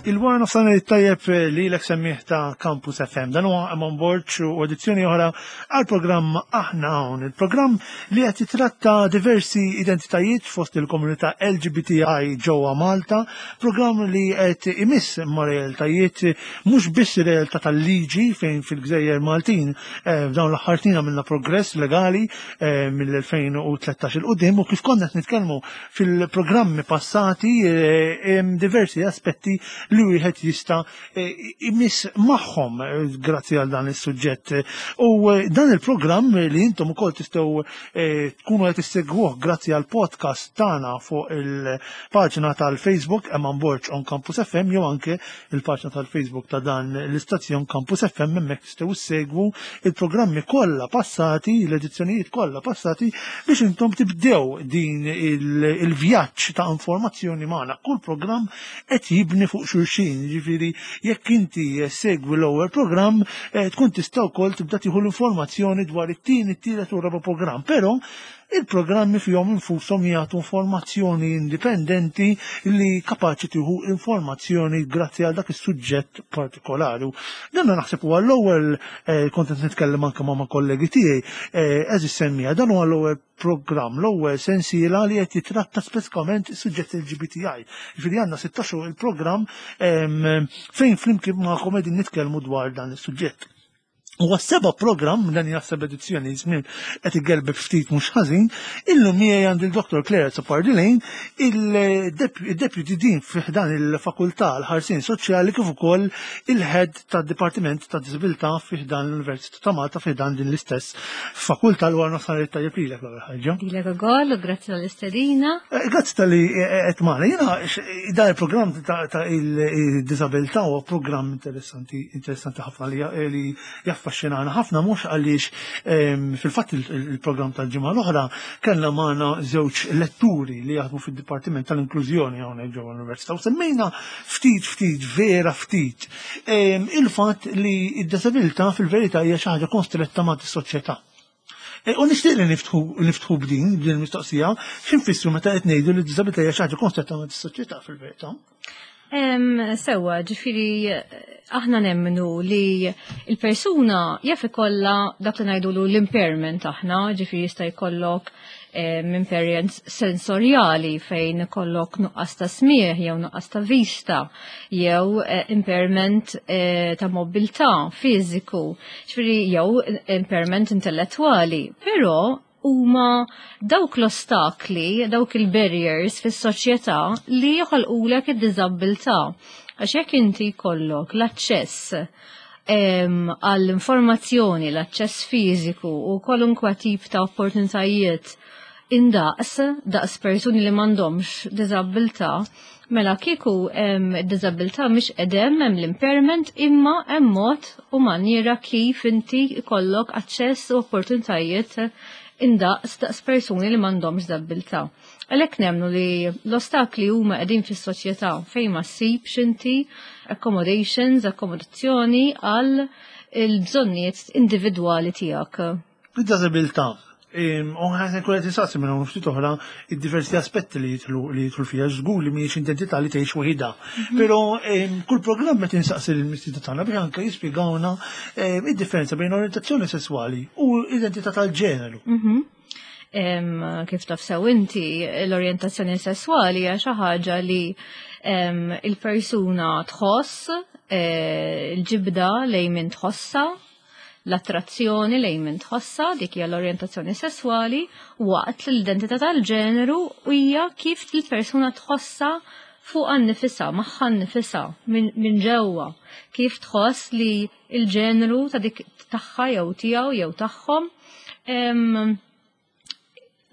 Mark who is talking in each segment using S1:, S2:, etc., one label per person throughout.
S1: Il-wara nofsan tajjeb li l semmiħ ta' Campus FM. Dan huwa Amon Borg u edizzjoni oħra għal programm Aħna Hawn. Il-programm li qed jitratta diversi identitajiet fost il-komunità LGBTI ġewwa Malta, programm li qed imiss ma' realtajiet mhux biss realtà tal-liġi fejn fil-Gżejjer Maltin eh, f'dawn l-aħħar snin għamilna progress legali eh, mill-2013 il qudiem u kif konna qed nitkellmu Fil-programmi passati eh, hemm diversi aspetti li wieħed jista' eh, imiss magħhom eh, grazzi għal dan is-suġġett. U dan il-programm li intom ukoll tistgħu tkunu qed issegwuh grazzi għal podcast tagħna fuq il-paġna tal-Facebook Eman Borg on Campus FM jew anke il-paġna tal-Facebook ta' dan l-istazzjon Campus FM hemmhekk tistgħu ssegwu il-programmi kollha passati, l-edizzjonijiet kollha passati biex intom tibdew din il-vjaġġ ta' informazzjoni magħna. Kull programm qed jibni fuq xulxin, jiġifieri jekk inti segwi l-ewwel programm eh, tkun tista' wkoll tibda tieħu l-informazzjoni dwar it-tieni, it-tielet u r-raba' programm. Però Il-programmi fihom infushom jagħtu informazzjoni indipendenti li kapaċi tieħu informazzjoni grazzi għal dak is-suġġett partikolari. Dan naħseb huwa l-ewwel eh, kont qed nitkellem anke ma' kollegi tiegħi eh, eżis semmija dan huwa l-ewwel programm, l-ewwel sensiela li qed jitratta speċikament is-suġġett LGBTI. Ġifieri għandna 16 il-programm fejn flimkien magħkom qegħdin nitkellmu dwar dan is-suġġett. U għas-seba' programm, dan hija seba' edizzjoni żmien qed igelbeb ftit mhux ħażin, illum miegħi għandi l-Dr. Claire Azzopardi Lane, il-Deputy Dean fi ħdan il-Fakultà l-Ħarsien Soċjali kif ukoll il-Head tad-Dipartiment ta' Diżabilità fi ħdan l-Università ta' Malta fi ħdan din l-istess fakultà l wara nofsinhar it-tajjeb lilek l-ewwel ħaġa.
S2: Lilek ukoll u grazzi tal-istedina.
S1: Eh, grazzi tal-li eh, qed magħna. Jiena dan il-programm ta' il-diżabilità huwa programm interessanti. Interessanti, interessanti ħafna li, eh, li jaffaxxinana ħafna mhux għaliex ehm, fil-fatt il-programm tal-ġimgħa l-oħra kellna magħna żewġ letturi li jaħdmu fid-Dipartiment tal-Inklużjoni hawnhekk ġewwa l-Università u semmejna ftit ftit vera ftit ehm, il-fatt li d-disabilità fil-verità hija xi ħaġa konstretta ma' soċjetà. E, u nixtieq li niftħu niftħu b'din b'din il-mistoqsija, x'infissru meta qed ngħidu li d-diżabilità hija xi ħaġa konstretta ma' soċjetà fil-verità.
S2: Sewa, ġifiri, aħna nemmnu li il-persuna jaf ikollha dak li ngħidulu l-impairment aħna, ġifiri jista' jkollok impairment sensorjali fejn ikollok nuqqas ta' smieħ jew nuqqas ta' vista jew eh, impairment eh, ta' mobilità fiżiku, ġifiri jew impairment intellettwali, però huma dawk l-ostakli, dawk il-barriers fis-soċjetà li joħolqulek id-diżabbiltà. Għax jekk inti jkollok l-aċċess għall-informazzjoni, l-aċċess fiżiku u kwalunkwe tip ta' opportunitajiet indaqs, daqs persuni li m'għandhomx diżabbiltà, mela kieku id-diżabbiltà mhix qedem hemm l-impairment imma hemm mod u manjiera kif inti jkollok aċċess u opportunitajiet indaqs daqs persuni li m'għandhomx diżabbiltà. Għalhekk nemmnu li l-ostakli huma qegħdin fis-soċjetà fejn ma ssibx inti accommodations, akkomodazzjoni għal il-bżonnijiet individwali tiegħek.
S1: Id-diżabilità U ħażin kull qed insaqsi minn hawn ftit oħra id-diversi aspetti li jidħlu li jidħlu fiha żgur li mhijiex identità li tgħix waħidha. Mhm. Però kull programm qed insaqsi lill-mistiedna tagħna biex anke jispjegawna id-differenza bejn orientazzjoni sesswali u identità tal-ġeneru.
S2: Mhm. Kif taf sew inti, l-orjentazzjoni sesswali hija xi ħaġa li il-persuna tħoss eh, il-ġibda lejn min tħossa l-attrazzjoni lejn min tħossha, dik hija l-orjentazzjoni sesswali, waqt li l-identità tal-ġeneru hija kif il-persuna tħossha fuqha nnifisha, magħha nnifisha, minn ġewwa, kif tħoss li l-ġeneru ta' dik tagħha jew tiegħu jew tagħhom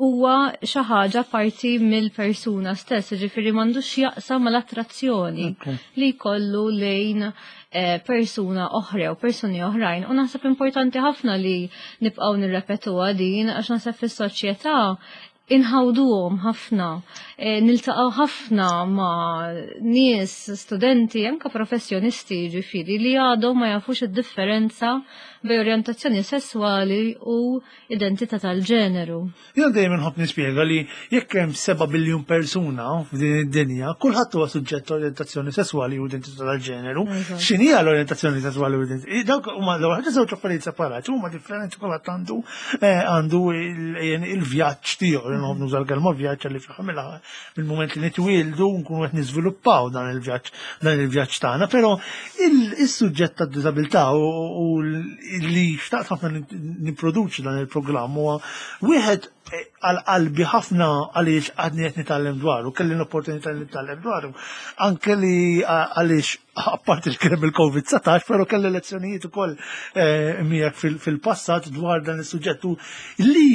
S2: huwa xi ħaġa parti mill-persuna stess, ġifieri m'għandux jaqsam mal-attrazzjoni li jkollu lejn eh, persuna oħra u persuni oħrajn. U naħseb importanti ħafna li nibqgħu nirrepetuha din għax naħseb fis-soċjetà Inħawduhom ħafna, niltaqgħu ħafna ma' nies, studenti, anke professjonisti ġifieri li għadhom ma jafux id-differenza bejn orjentazzjoni sesswali u identità tal-ġeneru.
S1: Jien dejjem inħobb nispjega li jekk hemm 7 biljun persuna f'din id-dinja, kulħadd huwa suġġett orjentazzjoni sesswali u identità tal-ġeneru. X'inhi l-orjentazzjoni sesswali u identità? Dawk huma l-ewwel ħaġa żewġ affarijiet separati, huma differenti, kulħadd għandu il-vjaġġ tiegħu, nħobb nuża l-kelma vjaġġ li fl mill-mument li nitwieldu nkunu qed niżviluppaw dan il-vjaġġ tagħna, però il-suġġett tad-diżabilità u li xtaqt ħafna nipproduċi dan il-programm huwa wieħed għal qalbi ħafna għaliex għadni qed nitgħallem dwaru, kelli l-opportunità li nitgħallem dwaru. Anke li għaliex apparti li kien il-COVID-19, però kelli lezzjonijiet ukoll miegħek fil-passat dwar dan is-suġġett li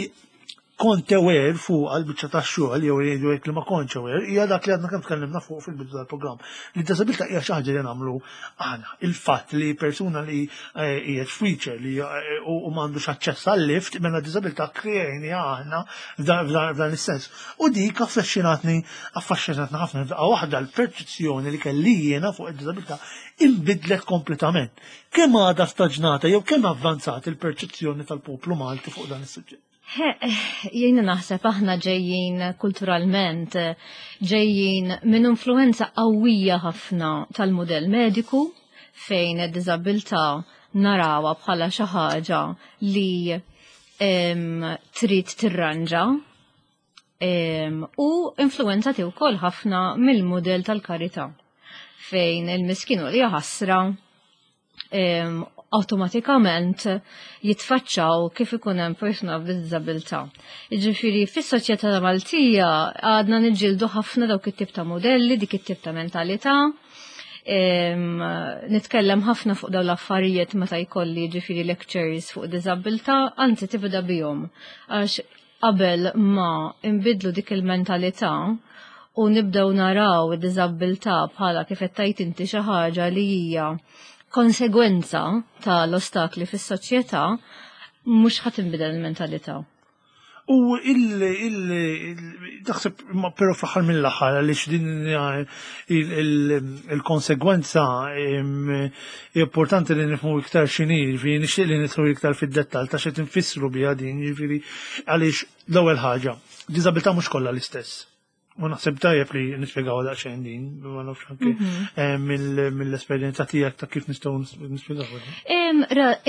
S1: kont aware fuq għal-biċċa ta' xogħol jew jgħidu li ma kontx aware, hija dak li għadna kemm tkellimna fuq fil-bidu tal-programm. Li d-disabilità hija xi ħaġa li nagħmlu aħna. Il-fatt li persuna li hija f'wheelchair li u m'għandux aċċess għal-lift, mela disabilità kreajni aħna f'dan is-sens. U dik affaxxinatni ħafna. Daqqa waħda l-perċezzjoni li kelli jiena fuq id-disabilità inbidlet kompletament. Kemm għadha staġnata jew kemm avvanzat il-perċezzjoni tal-poplu Malti fuq dan is-suġġett?
S2: Jiena naħseb aħna ġejjin kulturalment, ġejjin minn influenza qawwija ħafna tal-modell mediku fejn id-diżabilità narawha bħala xi ħaġa li trid tirranġa u influenzati wkoll ħafna mill-modell tal-karità fejn il-miskin u li ħasra automatikament jitfaċċaw kif ikun hemm persuna b'diżabilità. Jiġifieri fis-soċjetà Maltija għadna niġġieldu ħafna dawk it-tip ta' modelli, dik it-tip ta' mentalità. Nitkellem ħafna fuq dawn l-affarijiet meta jkolli ġifieri lectures fuq diżabilità, anzi tibda bihom. Għax qabel ma nbidlu dik il-mentalità u nibdew naraw id-diżabilità bħala, kif qed tgħid inti, xi ħaġa li hija konsegwenza tal-ostakli fis-soċjetà, mhux ħa tinbidel il-mentalità.
S1: U taħseb, però fl-aħħar mill-aħħar, għaliex din il-konsegwenza importanti li nifhmu iktar x'inhi, ġifieri nixtieq li nidħlu iktar fid-dettall ta' xi tinfissru biha din, ġifieri għaliex l-ewwel ħaġa, diżabilità mhux kollha l-istess. U naħseb tajjeb li nispjegaw daqsxejn din, ma nafx anke mill-esperjenza tiegħek ta' kif nistgħu nispjegaw.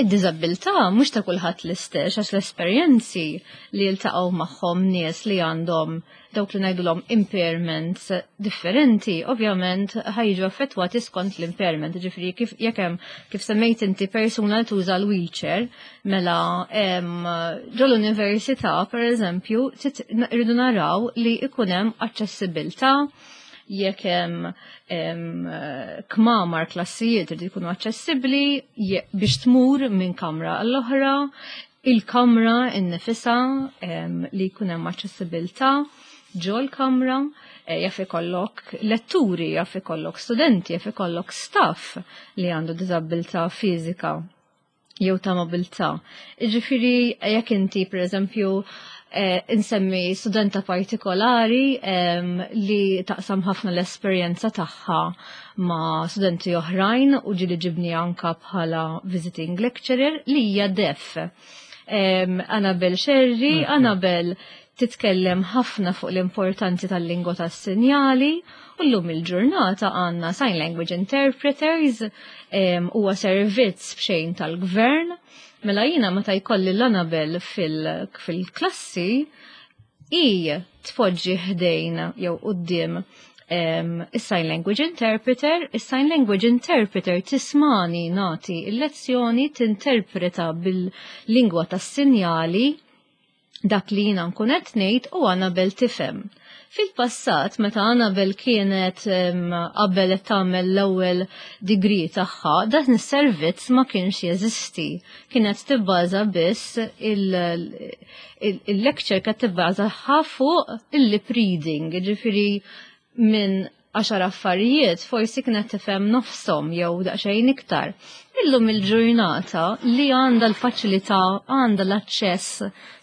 S2: Id-diżabilità mhux ta' kulħadd l-istess, għax l-esperjenzi li jiltaqgħu magħhom nies li għandhom dawk li ngħidulhom impairments differenti, ovvjament ħa jiġu affettwati skont l-impairment. Ġifieri kif jekk hemm, kif semmejt inti, persuna li tuża l-wheelchair, mela ġol-università, per eżempju, rridu naraw li ikun hemm aċċessibilità, jekk hemm kmamar, klassijiet irid jkunu aċċessibbli biex tmur minn kamra għall-oħra, il-kamra innifisha li jkun hemm aċċessibilità ġol kamra, jaf ikollok letturi, jaf ikollok studenti, jaf ikollok staff li għandu diżabilità fiżika jew ta' mobilità. Ġifieri jekk inti, per eżempju, insemmi studenta partikolari li taqsam ħafna l-esperjenza tagħha ma' studenti oħrajn u ġieli ġibni anka bħala visiting lecturer, li hija deaf. Annabel Sherry. Annabel titkellem ħafna fuq l-importanti tal-lingwa tas-sinjali u llum il-ġurnata għandna sign language interpreters, huwa servizz b'xejn tal-gvern. Mela jiena meta jkolli l-Annabel fil-klassi, i tpoġġi ħdejn jew quddiem is-sign language interpreter, is-sign language interpreter tismagħni nagħti il-lezzjoni, tinterpreta bil-lingwa tas-sinjali dak li jiena nkun qed ngħid u Annabel tifhem. Fil-passat, meta Annabel kienet qabel qed tagħmel l-ewwel degree tagħha, dan is-servizz ma kienx jeżisti. Kienet tibbaża biss il-lecture, kienet tibbaża fuq il-lip reading, ġifieri minn 10 affarijiet forsi kienet tifhem nofshom jew daqsxejn iktar. Illum il-ġurnata li għandha l-faċilità, għandha l-aċċess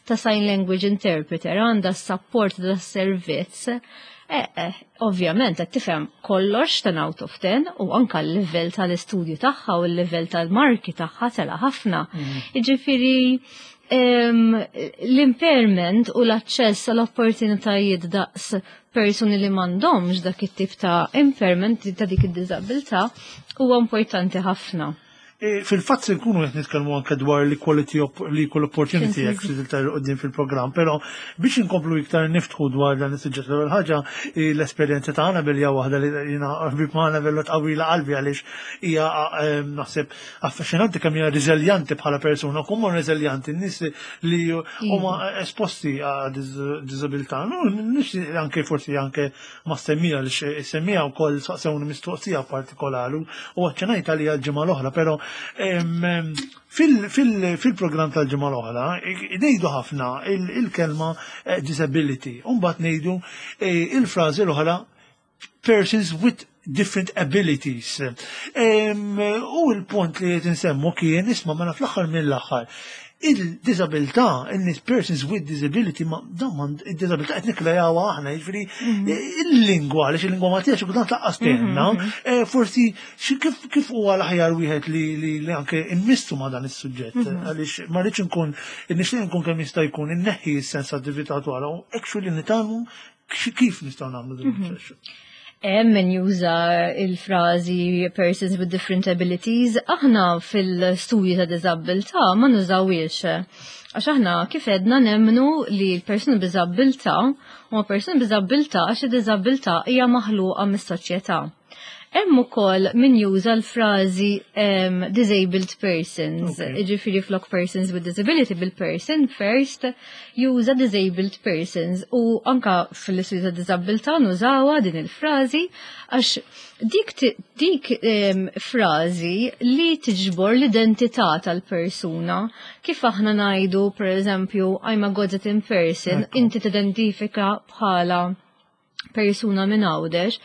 S2: ta' sign language interpreter, għandha s-support ta' servizz, ovvjament qed tifhem kollox 10 out of 10 u anka l-livell tal-istudju tagħha u l-livell tal-marki tagħha tela ħafna. Jiġifieri l-impairment u l-aċċess għall opportunitajiet daqs persuni li m'għandhomx dak it-tip ta' impairment, ta' dik id-diżabilità, huwa importanti ħafna.
S1: Fil-fatt se nkunu qed nitkellmu anke dwar l-Equality, l-Equal Opportunity Act iktar quddiem fil-programm, però biex inkomplu iktar niftħu dwar dan is-suġġett, l-ewwel ħaġa, l-esperjenza ta' Annabel hija waħda li jiena ħbib ma' Annabel tqawwila qalbi, għaliex hija naħseb affaxxinanti kemm hija reżiljanti bħala persuna, kemm huma reżiljanti n-nies li huma esposti għal diżabilità. Nix anke forsi anke ma semmija li semmija wkoll saqsewni mistoqsija partikolari u aċċenajt għalija l-ġimgħa l-oħra, però fil-programm tal-ġimgħa l-oħra ngħidu ħafna il-kelma disability, u mbagħad ngħidu il-frażi l-oħra persons with different abilities. U l-punt li qed insemmu kien, isma', mela fl-aħħar mill-aħħar il-disabilità, in persons with disability, ma dan il-disabilità qed nikkreawha aħna, jiġifieri il-lingwa, għaliex il-lingwa Maltija xi kultant lanqas tgħinna, forsi kif huwa l-aħjar wieħed li anke immissu ma' dan is-suġġett, għaliex ma rridx nkun, nixtieq nkun kemm jista' jkun inneħħi s-sensattività dwar u actually nitgħallmu kif nistgħu nagħmlu din il-proċess.
S2: Hemm min juża il-frażi persons with different abilities, aħna fil-studju ta' diżabilità ma nużawiex. Għax aħna kif edna nemmnu li l-persuni b'diżabilità huma persuni b'diżabilità għax id-diżabilità hija maħluqa mis-soċjetà. Hemm ukoll min juża l-frażi disabled persons, jiġifieri flok persons with disability bil-person first juża disabled persons, u anka fil-istudju ta' diżabilità nużawha din il-frażi għax dik frażi li tiġbor l-identità tal-persuna, kif aħna ngħidu, per eżempju, I'm a Gozitan person, inti tidentifika bħala persuna minn Għawdex,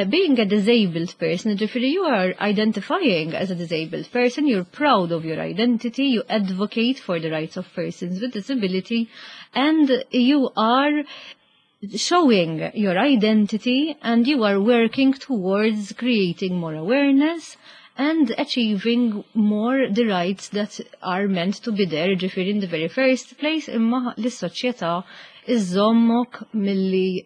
S2: being a disabled person, ġifieri you are identifying as a disabled person, you're proud of your identity, you advocate for the rights of persons with disability, and you are showing your identity and you are working towards creating more awareness and achieving more the rights that are meant to be there, ġifieri in the very first place, imma l-soċjetà iżommok milli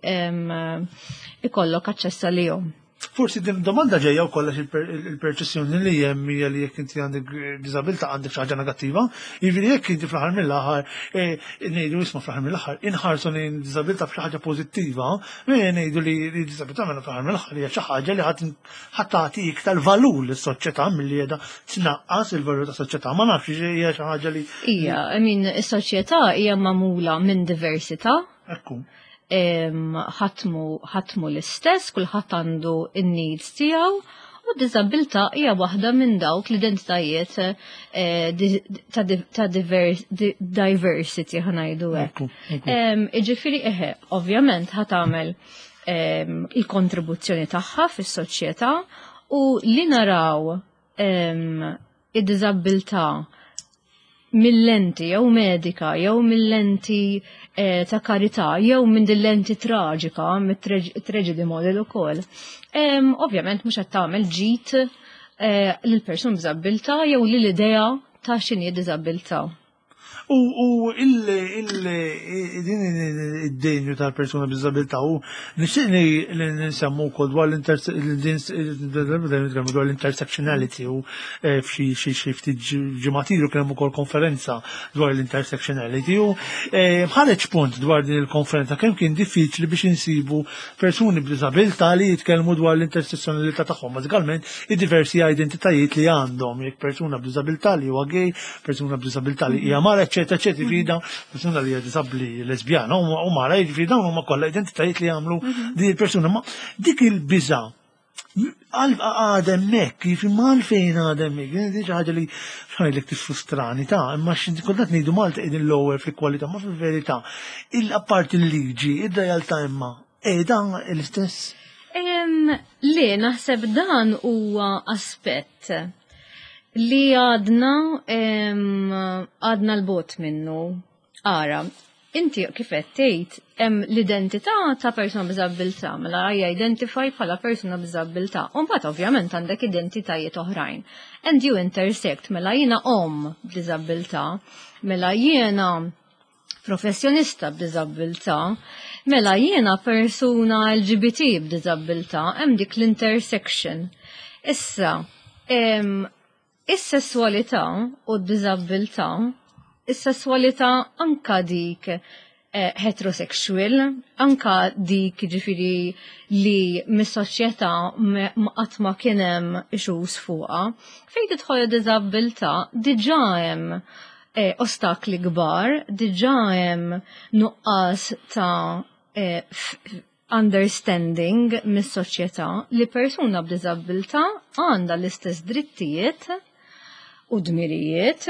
S2: ikollok aċċess għalihom.
S1: Forsi din domanda ġejja wkoll għax il-perċezzjoni li hemm hija li jekk inti għandek diżabilità għandek xi ħaġa negattiva, jiġifieri jekk inti fl-aħħar mill-aħħar ngħidu, isma', fl-aħħar mill-aħħar inħarsu lejn diżabilità f'xi ħaġa pożittiva, ngħidu li diżabilità mela fl-aħħar mill-aħħar hija xi ħaġa li ħadd tagħti iktar valur lis-soċjetà milli qiegħda tnaqqas il-valur tas-soċjetà. Ma nafx, hija xi ħaġa li
S2: Ija, I mean, is-soċjetà hija magħmula minn diversità. Ħadd mhu l-istess, kulħadd għandu in-needs tiegħu u d-diżabilità hija waħda minn dawk l-identitajiet ta' diversity, ħa ngħidu hekk.
S1: Ekku.
S2: Iġifieri eħe, ovvjament ħa tagħmel il-kontribuzzjoni tagħha fis-soċjetà u li naraw id-diżabilità mill-lenti jew medika jew mill-lenti ta' karità jew minn din lenti traġika mit-tragedy model ukoll. Ovvjament mhux qed tagħmel ġid lil persuna b'diżabilità jew lil idea ta' x'inhi diżabilità.
S1: U din id-denju tal-persuna b'diżabilità, u nixtieq li nsemmu wkoll dwar l-intersectionality, u f'xi xi xi ftit ġimgħat ilu kien hemm ukoll konferenza dwar l-intersectionality u ħareġ punt dwar din il-konferenza kemm kien diffiċli biex insibu persuni b'diżabilità li jitkellmu dwar l-intersectionalità tagħhom, bażikament id-diversi identitajiet li għandhom, jekk persuna b'diżabilità li huwa gay, persuna b'diżabilità li hija mara, eċetera, eċetera, jiġifieri dawn persuna li hija disabbli lesbjana u mara, jiġifieri dawn huma kollha identitajiet li jagħmlu din il-persuna. Ma dik il-biża' għadha hemmhekk, jiġifieri ma għalfejn għadha hemmhekk, din xi ħaġa li x'ngħidlek tiffrustrani ta', imma xi kultant ngħidu Malta qegħdin l-ewwel fil-kwalità, ma fil-verità, il-apparti il-liġi, id-realtà imma qiegħda l-istess.
S2: Li naħseb dan huwa aspett li għadna għadna l-bot minnu. Ara, inti kif qed tgħid hemm l-identità ta' persuna b'diżabilità, mela hija identify bħala persuna b'diżabilità. U mbagħad ovvjament għandek identitajiet oħrajn. And you intersect, mela jiena omm b'diżabilità, mela jiena professjonista b'diżabilità, mela jiena persuna LGBT b'diżabilità, hemm dik l-intersection. Issa, is-sesswalità u d-diżabilità, is-sesswalità anka dik heterosexual, anka dik ġifiri li mis-soċjetà qatt ma kien hemm issues fuqha. Fejn tidħol id-diżabilità diġà hemm ostakli kbar, diġà hemm nuqqas ta' understanding mis-soċjetà li persuna b'diżabilità għandha l-istess drittijiet u dmirijiet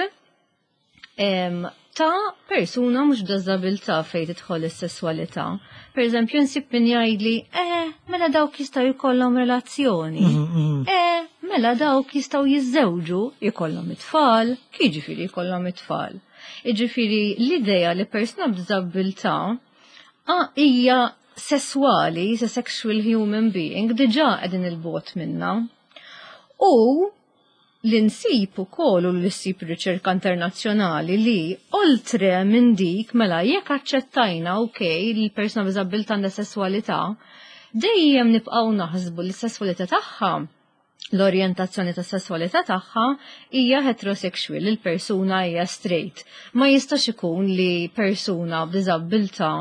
S2: ta' persuna mhux b'diżabilità fejn tidħol is-sesswalità. Per eżempju, nsib min jgħidli, mela dawk jistgħu jkollhom relazzjoni. Mela dawk jistgħu jiżżewġu, jkollhom it-tfal, jiġifieri jkollhom it-tfal. Jiġifieri l-idea li persuna b'diżabilità hija sesswali, is a sexual human being, diġà qegħdin il-bogħod minna. U li nsib ukoll u li ssib riċerka internazzjonali li oltre minn dik mela jekk aċċettajna, ok, li l-persuna b'diżabilità għandha sesswalità, dejjem nibqgħu naħsbu li s-sesswalità tagħha, l-orjentazzjoni ta' sesswalità tagħha hija heterosexual, il-persuna hija straight. Ma jistax ikun li persuna b'diżabilità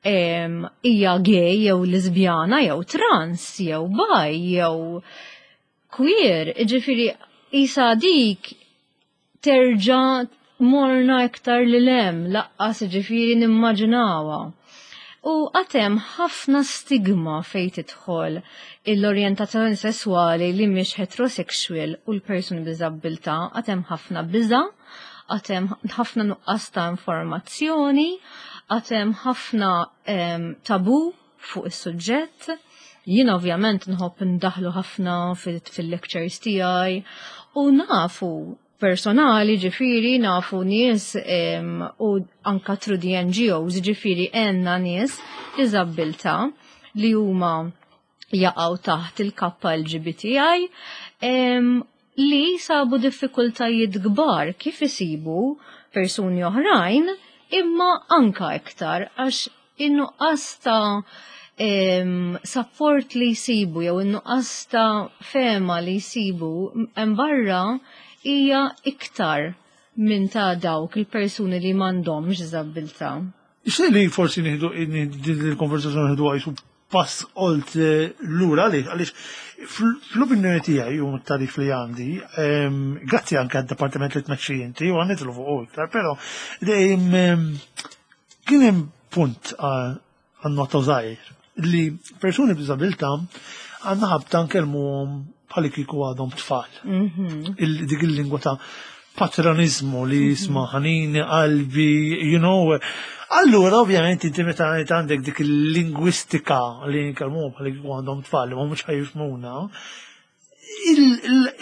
S2: hija gay jew lesbjana jew trans jew bi jew queer, ġifieri isa dik terġa' morna iktar li lem, laqqas ġifieri nimmaġinawha. U għad hemm ħafna stigma fejn tidħol l-orjentazzjoni sessuali li mhix heterosexual u l-persuni b'diżabilità, għad hemm ħafna biża, għad hemm ħafna nuqqas ta' informazzjoni, għad hemm ħafna tabu fuq is-suġġett. Jien ovvjament nħobb ndaħlu ħafna fil-lectures tiegħi u nafu personali, ġifiri nafu nies u anka through the NGOs, ġifiri għenna nies b'diżabilità li huma jaqgħu taħt il-kappa LGBTI li sabu diffikultajiet kbar kif isibu persuni oħrajn, imma anka iktar għax in-nuqqas ta' support li jsibu jew in-nuqqas ta' fehma li jsibu hemm barra hija iktar minn ta' dawk il-persuni li m'għandhomx diżabilità.
S1: Ixtieq li forsi nieħdu din il-konversazzjoni, nieħdu għajsu pass oltre lura, għaliex fl-opinjoni tiegħi u t-tarif li għandi, grazzi anke għad-dipartiment li tmexxi inti u għanditlu fuq iktar, però kien hemm punt għan-nota żgħir li persuni b'diżabilità għandna ħabta nkellmuhom bħal kieku għadhom tfal. Dik il-lingwa ta' patronizmu li jisma' ħanini qalbi. Allura, ovvjament, inti meta għandek dik il-lingwistika li nkellmuhom bħal kieku għandhom tfal li ma mhux ħa jifhmuna,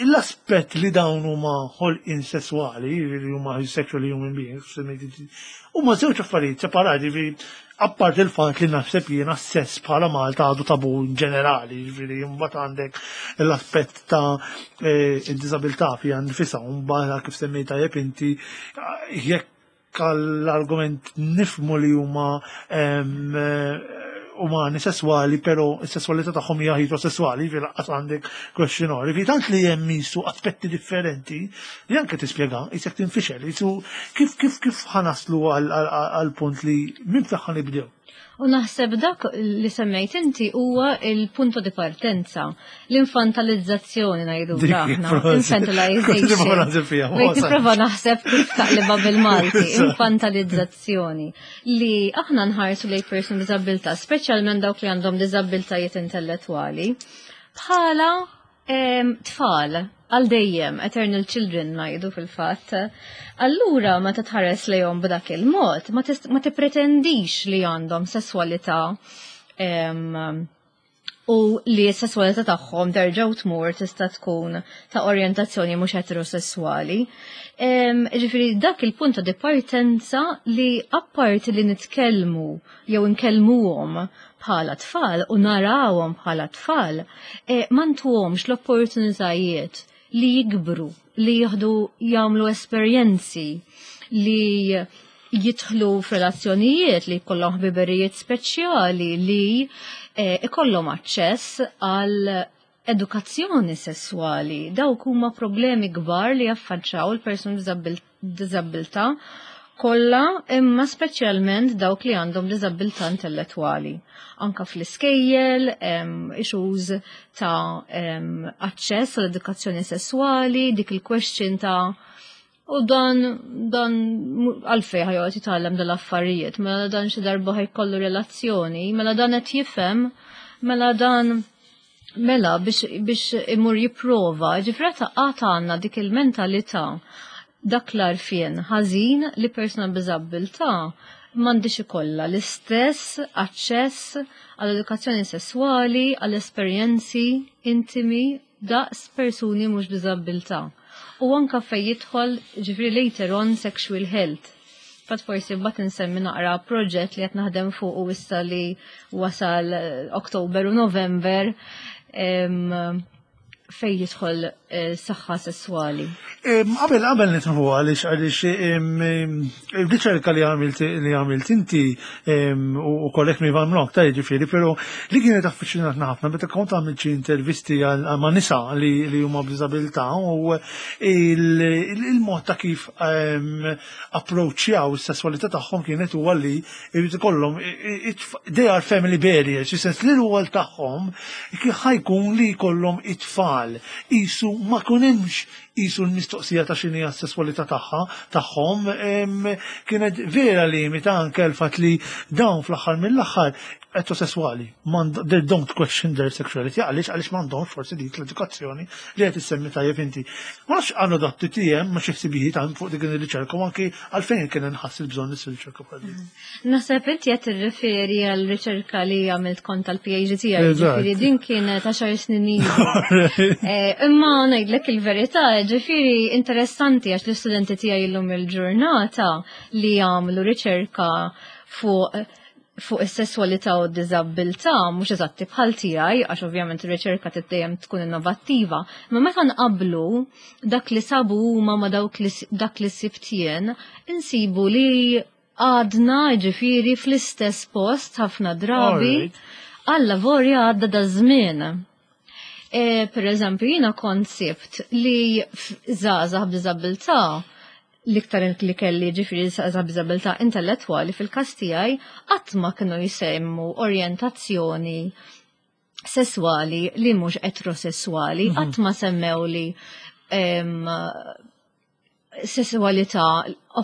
S1: l-aspett li dawn huma ħolqien sesswali, li huma sexual human beings, huma żewġ affarijiet separati, ġifieri, apart il-fatt li naħseb jiena sess bħala Malta għadu tabu in ġenerali, ġifieri mbagħad għandek l-aspett ta' id-diżabilità fiha nfisha, u mbagħad kif semmejt tajjeb inti, jekk l-argument nifhmu li huma umani sessuali, pero s-sessualità tagħhom hija heterosessuali, fi laqqas għandek questionary. Fi tant li hemm jisu aspetti differenti li anke tispjega, jisek tinfixel, jisu kif ħa naslu għal punt li minn fejn ħa nibdew.
S2: U naħseb dak li semmejt inti huwa il-punto di partenza, l-infantalizzazzjoni ngħidu aħna,
S1: infantilization.
S2: Nipprova naħseb kif taqliba bil-Malti, infantalizzazzjoni. Li aħna nħarsu lejn person b'diżabilità, speċjalment dawk li għandhom diżabilitajiet intellettwali, bħala tfal għal dejjem, eternal children ngħidu fil-fatt. Allura meta tħares lejhom b'dak il-mod, ma tippretendix li għandhom sesswalità U li s-sesswalità tagħhom terġa' tmur tista' tkun ta' orjentazzjoni mhux eterosessuali. Ġifieri dak il-punt ta' dipartenza li apparti li nitkellmu jew nkellmuhom bħala tfal u narawhom bħala tfal, ma ntuhomx l-opportunitajiet li jikbru, li jieħdu jagħmlu esperjenzi, li jidħlu f'relazzjonijiet, li jkollhom ħbiberijiet speċjali, li ikollhom aċċess għal edukazzjoni sessuali. Dawk huma problemi kbar li jaffaċċaw il-persuni b'diżabilità kollha, imma speċjalment dawk li għandhom diżabilità intellettwali. Anka fl-iskejjel, issues ta' aċċess għall edukazzjoni sessuali, dik il-question ta' u dan għalfejn ħa joqgħod jitgħallem dal-affarijiet, mela dan xi darba ħa jkollu relazzjoni, mela dan qed jifhem, mela dan mela biex imur jipprova, ġifieri għad għandna dik il-mentalità, dak l-għarfien ħażin li persuna b'diżabilità m'għandix ikollha l-istess aċċess għall-edukazzjoni sessuali, għall-esperjenzi intimi daqs persuni mhux b'diżabilità. U anka fej jidħol ġifieri later on sexual health. Fatt forsi mbagħad insemmi naqra proġett li qed naħdem fuq u issa li wasal Oktober u November fej jidħol saħħa sessuali.
S1: Qabel nitħu għaliex il-riċerka li għamilt inti u correct me if I'm wrong, ta' ġifieri, però li kienet affiċinatna ħafna meta kont għamilt xi intervisti ma' nisa li huma b'diżabilità u il-mod ta' kif approachjaw is-sesswalità tagħhom kienet huwa li jrid ikollhom, they are family barriers, fis-sens li l-rwol tagħhom ħa jkun li jkollhom it-tfal. Isu ma kunemx isu l-mistoqsija ta' x'inhi s-sesswalità tagħhom kienet vera limita anke l-fatt li dawn fl-aħħar mill-aħħar eterosessuali, they don't question their sexuality, għaliex m'għandhomx forsi dik l-edukazzjoni li qed issemmi tajjeb inti. Ma nafx għandu dat TTM ma xi ħsibijiet għand fuq dik ir-riċerka u anki għalfejn kien inħass il-bżonn issir riċerka bħal din.
S2: Naħseb inti qed tirreferi għal riċerka li għamilt kont tal-PhD tiegħi, ġifieri din kienet 10 snin ilu. Imma ngħidlek il-verità, ġifieri interessanti għax l-istudenti tiegħi illum il-ġurnata li jagħmlu riċerka fuq is-sesswalità u d-diżabilità mhux eżatti bħal tiegħi, għax ovvjament ir-riċerka dejjem tkun innovattiva, imma meta nqablu dak li sabu huma ma dawk li dak li sibt jien, insibu li għadna ġifieri fl-istess post ħafna drabi għalla vorja għadda da żmien. Per eżempju, jiena kont sibt li żgħażagħ b'diżabilità, l-iktar li kelli ġifieri żgħażagħ b'diżabilità intellettwali fil-każ tiegħi, qatt ma kienu jsemmu orjentazzjoni sesswali li mhux eterosessuali, qatt ma semmew li sessualità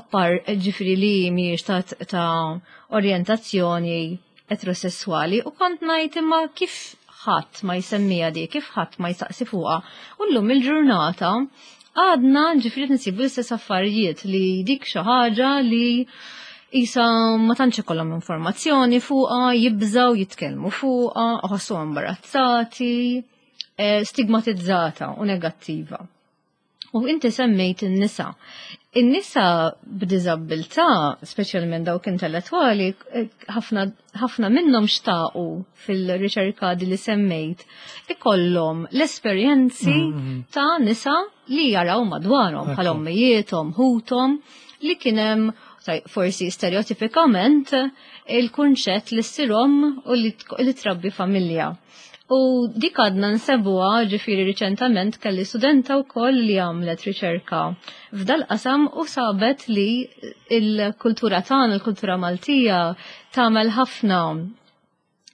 S2: oppar ġifieri li mhijiex ta' orjentazzjoni eterosessuali u kont ngħid imma kif ħadd ma jsemmija di, kif ħadd ma jsaqsi fuqha. U llum il-ġurnata għadna ġifieri nsibu l-istess affarijiet li dik xi ħaġa li isa ma tantx ikollhom informazzjoni fuqha, jibżaw jitkellmu fuqha, iħossu imbarazzati, stigmatizzata u negattiva. U inti semmejt in-nisa. In-nisa b'diżabilità, speċjalment dawk intellettwali, ħafna minnhom xtaqu fil-riċerka di li semmejt, ikollhom l-esperjenzi ta' nisa li jaraw madwarhom, bħal ommijiethom, ħuthom, li kien hemm forsi stereotipikament il-kunċett li ssir omm u li trabbi familja. U dik għadna nsebuha, ġifieri riċentament kelli studenta wkoll li għamlet riċerka f'dal qasam u sabet li il-kultura tagħna, il-kultura Maltija, tagħmel ħafna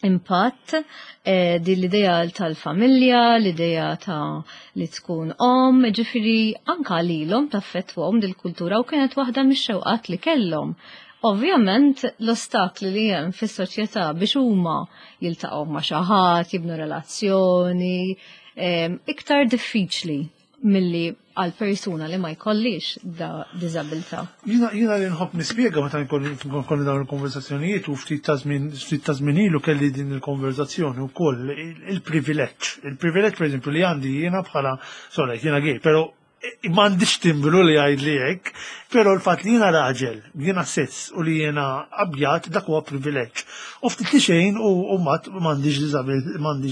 S2: impatt din l-idea tal-familja, l-idea ta' li tkun om, ġifieri anka lilhom taffettwahom dil-kultura u kienet waħda mix-xewqat li kellhom. Ovvjament l-ostakli li hemm fis-soċjetà biex huma jiltaqgħu ma' xi ħadd, jibnu relazzjoni, iktar diffiċli. Milli għal persuna li ma jkollix da diżabilità.
S1: Jiena li nħobb nispjega meta nkolli dawn il-konversazzjonijiet u ftit ta' żmien ftit ta' żmien ilu kelli din il-konversazzjoni wkoll il-privileġġ. Il-privileġġ pereżempju li għandi jiena bħala sorry jiena gay, però m'għandix timbru li jgħidli hekk, però l-fatt li jiena raġel, jiena cis u li jiena abjad dak huwa privileġġ. U ftit li xejn u m'għandix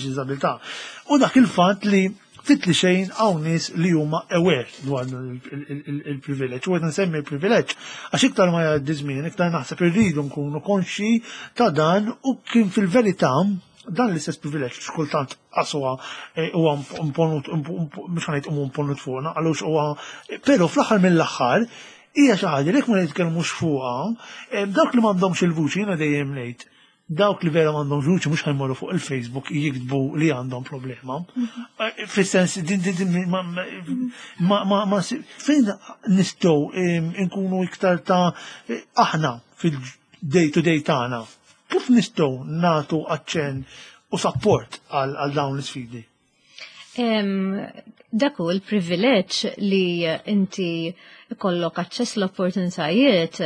S1: diżabilità. U dak il-fatt li ftit li xejn hawn nies li huma aware dwar il-privileġġ. U qed nsemmi l-privileġġ għax iktar ma jgħaddi żmien, iktar naħseb irridu nkunu konxi ta' dan u kien fil-verità dan l-istess privileġġ xkultant qaswa eh, huwa imponut mhux ħanejt huwa imponut fuqna għalux huwa però fl-aħħar mill-aħħar hija xi ħaġa li jekk ma nitkellmux fuqha, eh, dawk li m'għandhomx il-vuċi jiena dejjem ngħid dawk li vera m'għandhomx vuċi mhux ħajmorru fuq il-Facebook jiktbu li għandhom problema. Eh, fis-sens din din ma ma ma fejn nistgħu nkunu iktar ta' aħna fil-day to day tagħna. Kif nistgħu nagħtu aċċenn u support għal dawn l-isfidi?
S2: Dak hu l-privileġġ li inti kollok aċċess l-opportunitajiet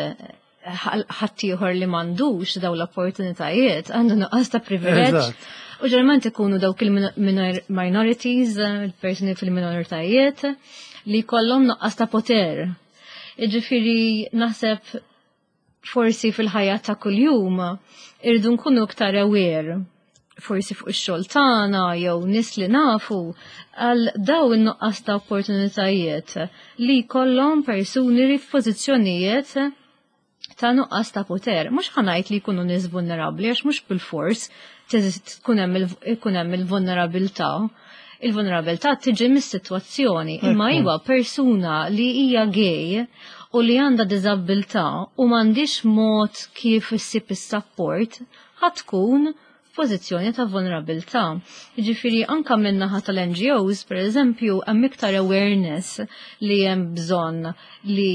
S2: ħaddieħor li m'għandux daw l-opportunitajiet għandu nuqqas ta' privileġġ. U ġeneralment ikunu dawk il-minorities, il-persuni fil-minoritajiet li kollhom nuqqas ta' poter. Jiġifieri naħseb forsi fil-ħajja ta' kuljum irridu nkunu iktar aware forsi fuq ix-xogħol tagħna jew nies li nafu għal daw in-nuqqas ta' opportunitajiet li jkollhom persuni li f'pożizzjonijiet ta' nuqqas ta' poter. Mhux ħa ngħid li jkunu nies vulnerabbli għax mhux bil-fors tkun hemm il-vulnerabilità. Il-vulnerabilità tiġi mis-sitwazzjoni, imma iwa persuna li hija gay u li għandha diżabilità u m'għandix mod kif issib is-support ħa tkun f'pożizzjoni ta' vulnerabilità. Jiġifieri anka min-naħa tal-NGOs, per eżempju, hemm iktar awareness li hemm bżonn li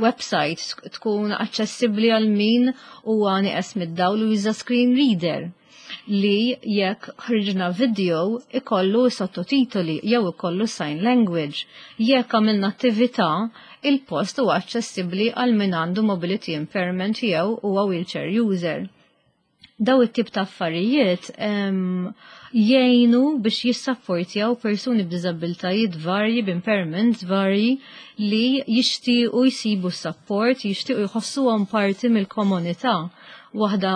S2: website tkun aċċessibbli għal min huwa nieqes mid-dawl u juża screen reader li jekk ħriġna video ikollu sottotitoli jew ikollu sign language. Jekk għamilna attività, il-post huwa aċċessibbli għal min għandu mobility impairment jew huwa wheelchair user. Daw it-tip ta' affarijiet jgħinu biex jissapportjaw persuni b'diżabilitajiet varji, b'impairments varji li jixtiequ jsibu support, jixtiequ jħossuhom parti mill-komunità. Waħda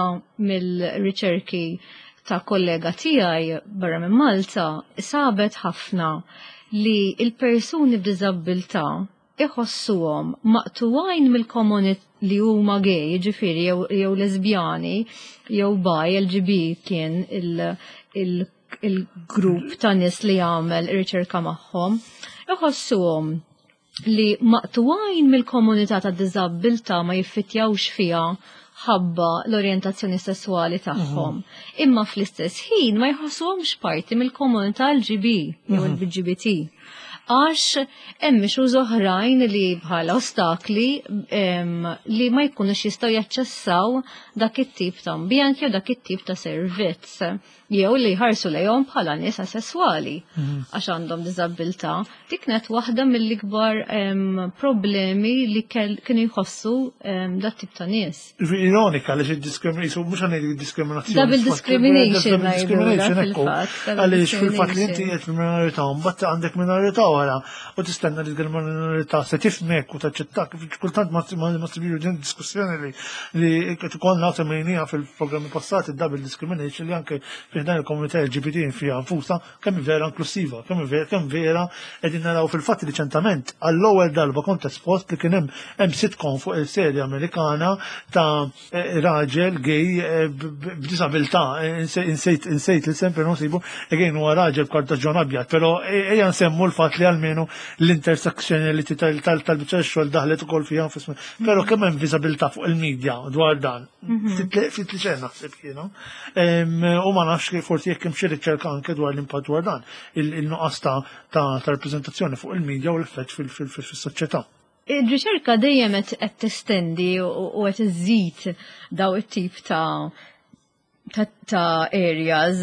S2: mill-riċerki ta' kollega tiegħi barra minn Malta sabet ħafna li il-persuni b'diżabilità iħossuhom maqtuwajn mill-komunità li huma gay, ġifieri jew lesbjani, jew bi, LGB kien il-grupp ta' nies li jagħmel riċerka magħhom, iħossuhom li maqtuwajn mill-komunità ta' diżabilità ma jiffittjawx fiha ħabba l-orjentazzjoni sessuali tagħhom. Imma fl-istess ħin ma jħossuhomx parti mill-komunità LGB jew l-LGBT. Għax hemm issues oħrajn li bħala ostakli li ma jkunux jistgħu jaċċessaw dak it-tip ta' ambjent jew dak it-tip ta' servizz jew li jħarsu lejhom bħala nies asesswali għax għandhom diżabilità. Dik kienet waħda mill-ikbar problemi li kienu jħossu dat tip ta' nies.
S1: Ironika li diskrimination, mhux ħa ngħid diskriminazzjoni.
S2: Double discrimination.
S1: Double discrimination, ekku. Għaliex fil-fatt li inti qed fil-minorità, mbagħad għandek minorità wara u tistenna li l-minorità se tifmek u taċċettak. Kultant ma sibiru din diskussjoni li qed ikollna semmejniha fil-programmi passati double discrimination li anke fi dan il-komunità LGBT fiha nfusa kemm vera inklusiva, kemm vera qegħdin naraw fil-fatt riċentament għall-ewwel darba kont espost li kien hemm sitcom fuq il-serja Amerikana ta' raġel gay b'disabilità, insejt li sempre nsibu, again huwa raġel b'kartaġġon abjad, però ejja nsemmu l-fatt li almenu l-intersectionality tal-biċċa xogħol daħlet ukoll fiha nfisma. Però kemm hemm viżabilità fuq il-medja dwar dan. Ftit li xejn naħseb jiena. U ma nafx li forsi jekk hemm xi riċerka anke dwar l-impatt dwar dan, il-nuqqas ta' rappreżentazzjoni fuq il-medja u l-effett fis-soċjetà.
S2: Il-riċerka dejjem qed testendi u qed iżid daw it-tip ta' areas.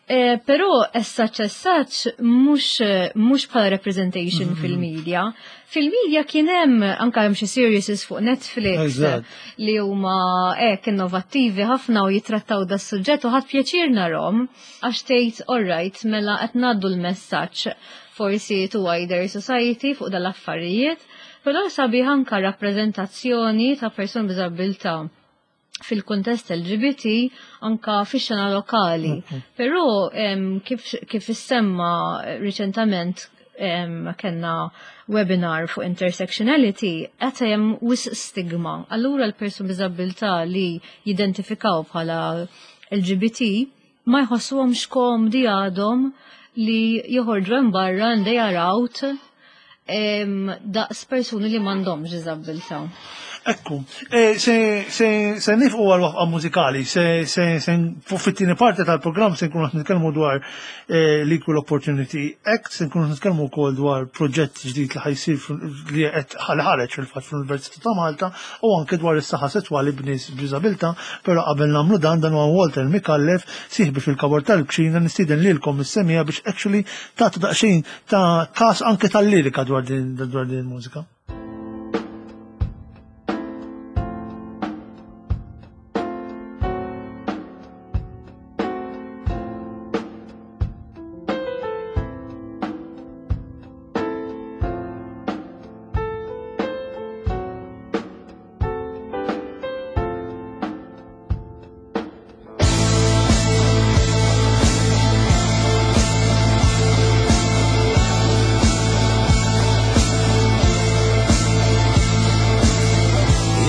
S2: Però as such as such mhux bħala representation fil-media. Fil-media kien hemm anke hemm xi series fuq Netflix li huma hekk innovattivi ħafna u jitrattaw da suġġett u ħadt pjaċir narahom għax tgħid alright mela qed ngħaddu l-messaġġ forsi to wider society fuq dal-affarijiet, però sabiħ anka rappreżentazzjoni ta' persuni b'diżabilità fil-kuntest LGBT anka fix-xena lokali. Però kif issemma riċentament kellna webinar fuq intersectionality, qed hemm wisq stigma. Allura l-persuni b'diżabilità li jidentifikaw bħala LGBT ma jħossuhomx komdi għadhom li joħorġu hemm barra and they are out daqs persuni li m'għandhomx diżabilità.
S1: Ekku, se nieqfu għal waqfa mużikali, se fit-tieni parti tal-programm se nkunu nitkellmu dwar l-Equal Opportunity Act, se nkunu nitkellmu wkoll dwar proġett ġdid li ħa jsir li qed ħareġ fil-fatt fl-Università ta' Malta u anke dwar is-saħħa sesswali b'nies b'diżabilità, però qabel nagħmlu dan, dan huwa Walter Micallef, sieħbi fil-kabor tal-kċina, nistieden lilkom is-semmiegħa biex actually tagħtu daqsxejn ta' kas anke tal-lirika dwar din il-mużika.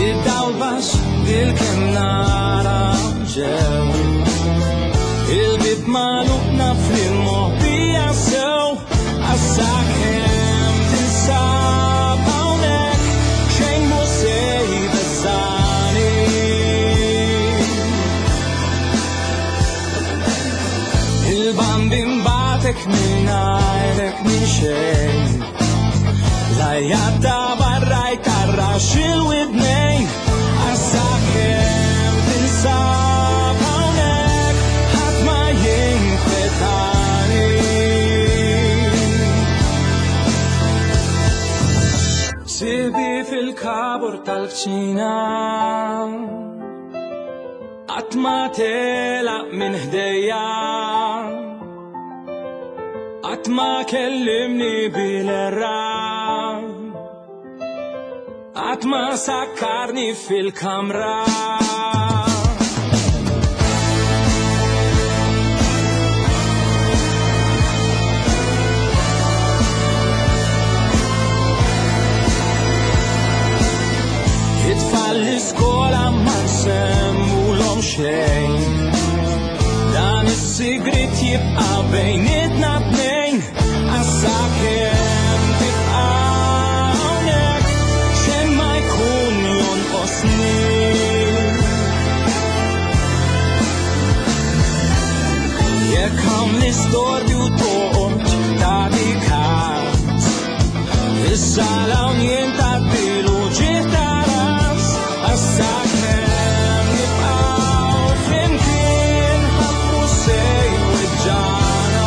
S3: Id-dawl baxx bil-kemm nara ġew. Il-bib magħluq naf li moħbija sew. Għax sakemm tinsab hawnhekk xejn mhu se jbeżżagħni. Il-Bambin bagħtek mingħajrek minn xejn. L-għajat ta' barra jtarrax il-widnejn. Għax sakemm tinsab hawnhekk ħadd ma jinkwetani. Sieħbi fil-kabur tal-kċina, qatt ma telaq minn ħdejja, qatt ma kellimni bil-erra, qatt ma sakkarni fil-kamra. It-tfal l-iskola ma nsemmulhom xejn. Dan is-sigrit jibqa' bejnietna tnejn. Għax sakemm tibqa' hawnhekk xejn ma jkun jonqosni. Jekk hawn l-istorbju toqgħod tagħti każ. Is-sala hawn jien tgħaddilu ġieħ ta' ras. Għax sakemm nibqgħu flimkien ħadd mhu se jweġġagħna.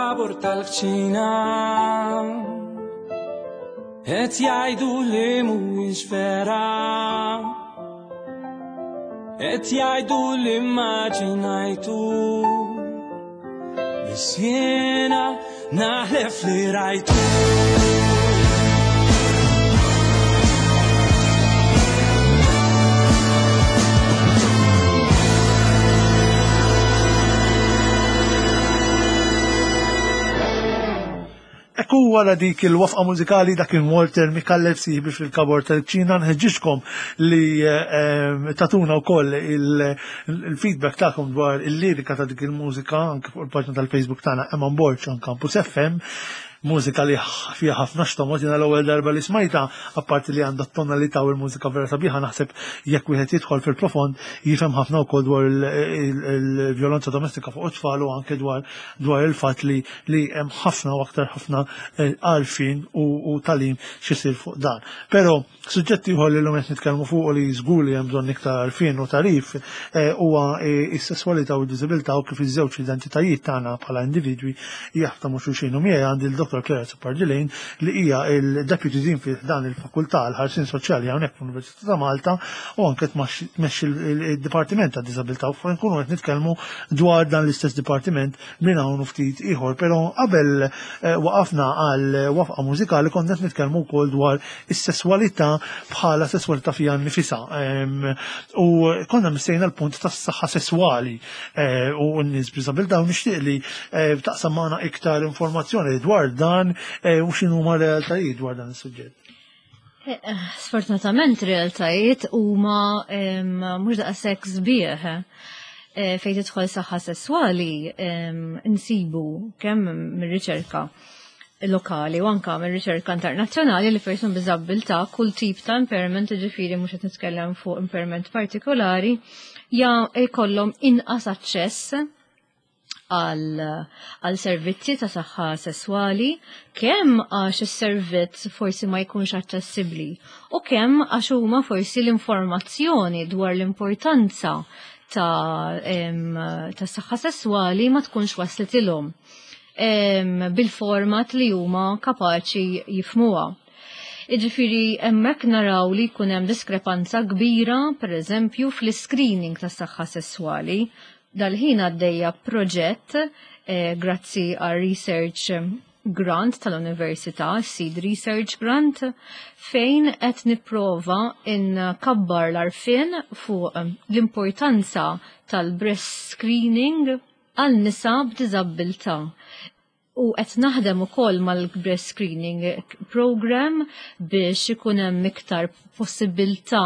S3: Fil-kabur tal-kċina Qed jgħidu li mhuwiex vera Qed jgħidu li immaġinajtu Biss jiena naħlef li rajtu.
S1: Ekku wara dik il-wafqa mużikali dak kien Walter Micallef sieħbi fil-kabor tal-ċina nħeġġiġkom li tatuna wkoll il-feedback tagħkom dwar il-lirika ta' dik il-mużika anke fuq il-paġna tal-Facebook tagħna Eman Borg on Campus FM mużika li fiha ħafna xtomot jiena l-ewwel darba li smajta apparti li għandha t-tonalità u l-mużika vera sabiħa naħseb jekk wieħed jidħol fil-profond jifhem ħafna wkoll dwar il-vjolenza domestika fuq it-tfal u anke dwar dwar il-fatt li li hemm ħafna u aktar ħafna eh, għarfien u talim xisir fuq dan. Però suġġett ieħor li llum qed nitkellmu fuq li żgur li hemm bżonn iktar għarfien u tarif eh, huwa eh, s-sesswalità u d-diżibilità u kif iż-żewġ identitajiet tagħna bħala individwi jaħdmu ma' xulxin. U miegħi għandi l-Dr. Claire Azzopardi-Lane li hija il-Deputy Dean fi dan il-Fakultà għall-Ħarsien Soċjali hawnhekk fl-Università ta' Malta u anke tmexxi il-Dipartiment ta' Diżabilità u nkunu qed nitkellmu dwar dan l-istess dipartiment minn hawn u ftit ieħor. Però qabel eh, waqafna għal wafqa mużikali konna qed nitkellmu wkoll dwar is-sesswalità bħala sesswalità fiha nnifisha. U konna missejna l-punt tas-saħħa sesswali eh, u n-nies b'diżabilità u nixtieq li eh, taqsam magħna iktar informazzjoni dwar dan u x'inhuma realtajiet dwar dan is-suġġett.
S2: Sfortunatament realtajiet huma mhux daqshekk sbieħ. Fejn tidħol saħħa sesswali nsibu kemm mir-riċerka lokali u anka mir-riċerka internazzjonali li persun b'diżabbiltà kull tip ta' impairment, ġifieri mhux qed nitkellem fuq impairment partikolari, ja jkollhom inqas aċċess għal servizzi ta' saħħa sesswali, kemm għax is-servizz forsi ma jkunx aċċessibbli u kemm għax huma forsi l-informazzjoni dwar l-importanza ta', ta saħħa sesswali ma tkunx waslitilhom bil-format li huma kapaċi jifmuha. Iġifiri, hemmhekk naraw li jkun hemm diskrepanza kbira, per eżempju, fl-screening tas saħħa sesswali. Dal-ħin għaddejja proġett grazzi għal research grant tal-Università, Seed Research Grant, fejn qed nipprova nkabbar l-arfin fuq l-importanza tal-breast screening għal nisa b'diżabbiltà. U qed naħdem ukoll mal-breast screening program biex ikun hemm iktar possibilità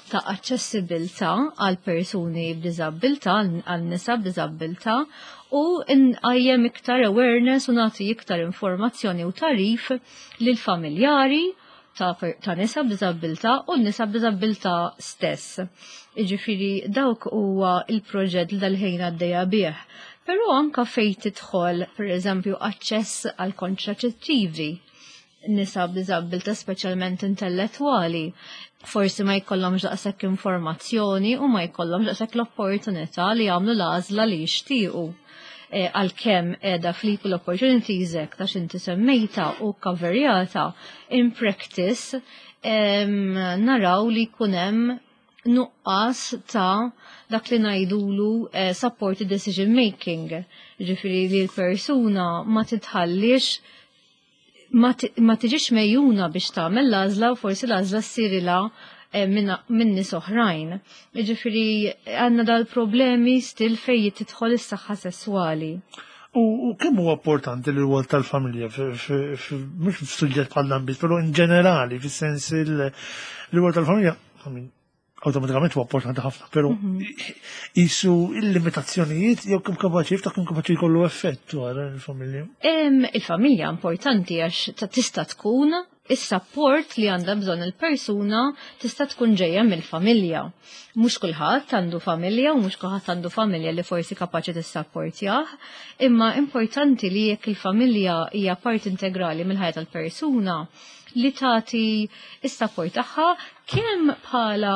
S2: ta' aċċessibilità għal persuni b'diżabbiltà, għal nisa b'diżabbiltà u nqajjem iktar awareness u nagħti iktar informazzjoni u tarif lil familjari ta', ta nisa b'diżabbiltà u nisa b'diżabbiltà stess. Jiġifieri dawk huwa il-proġett li dal-ħin għaddejja bih. Però anka fejn tidħol, per eżempju, aċċess għal kontraċettivi nisa b'diżabbiltà speċjalment intellettwali, forsi ma jkollhomx daqshekk informazzjoni u ma jkollhomx daqshekk l-opportunità li jagħmlu l-għażla li jixtiequ. Għalkemm qiegħda fl-Equal Opportunities Act għax inti semmejta u kaverjata in practice naraw li jkun hemm nuqqas ta' dak li ngħidulu supported decision making. Ġifieri li l-persuna ma titħallix ma tiġix mejjuna biex tagħmel l-għażla u forsi l-għażla ssirilha minn nies oħrajn. Ġifieri għandna dal-problemi still fejn tidħol is-saħħa sesswali.
S1: U kemm huwa importanti li rwol tal-familja mhux f'suġġett bħal dan biss, però in ġenerali, fis-sens il-rwol tal-familja, automatikament huwa importanti ħafna, però jisu il-limitazzjonijiet jew kemm kapaċi jiftaħ kemm kapaċi jkollu effett dwar il-familja.
S2: Il-familja importanti għax tista' tkun is-support li għandha bżonn il-persuna tista' tkun ġejja mill-familja. Mhux kulħadd għandu familja u mhux kulħadd għandu familja li forsi kapaċi tissapportjah, imma importanti li jekk il-familja hija parti integrali mill-ħajja tal-persuna, li tagħti s-support tagħha kemm bħala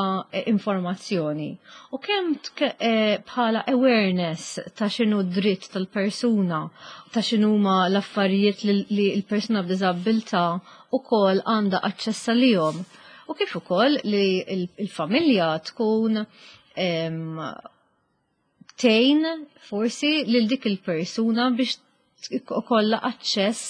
S2: informazzjoni u kemm bħala awareness ta' x'inhu dritt tal-persuna, ta' x'inhuma l-affarijiet li l-persuna b'diżabilità ukoll għandha aċċess għalihom. U kif ukoll li l-familja tkun tgħin forsi lil dik il-persuna biex ikollha aċċess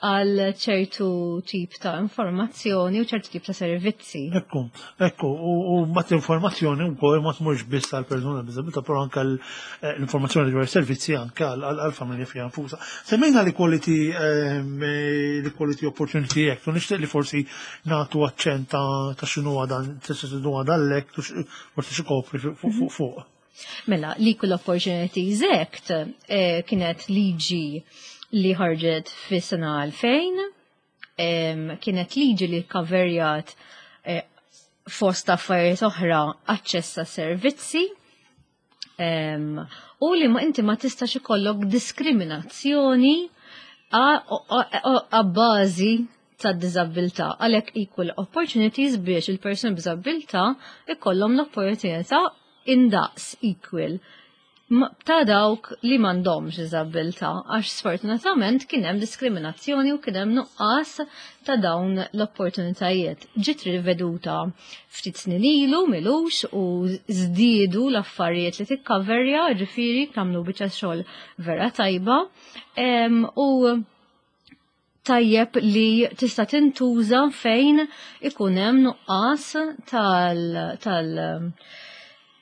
S2: għal ċertu tip ta' informazzjoni u ċertu tip ta' servizzi.
S1: Ekku, ekku, u mat informazzjoni wkoll ma tmurx biss għal persuna b'diżabilità, però anke l-informazzjoni dwar servizzi anke għal familja fiha nfusa. Semmejna l-Equality l-Equality Opportunity Act u nixtieq li forsi nagħtu aċċenn ta' x'inhu dan x'inhu dan l-act u forsi x'ikopri fuq.
S2: Mela, l-Equal Opportunities Act kienet liġi li ħarġet fi sena 2000, kienet liġi li kaverjat fost affarijiet oħra aċċess ta' servizzi, u li ma inti ma tistax ikollok diskriminazzjoni għabbażi ta' diżabilità. Għalhekk equal opportunities biex il-persuni b'diżabilità ikollhom l-opportunità indaqs equal ta' dawk li m'għandhomx diżabilità, għax sfortunatament kien hemm diskriminazzjoni u kien hemm nuqqas ta' dawn l-opportunitajiet. Ġiet riveduta ftit snin ilu milux u żdiedu l-affarijiet li tikkaverja, ġifieri tagħmlu biċċa xogħol vera tajba u tajjeb li tista' tintuża fejn ikun hemm nuqqas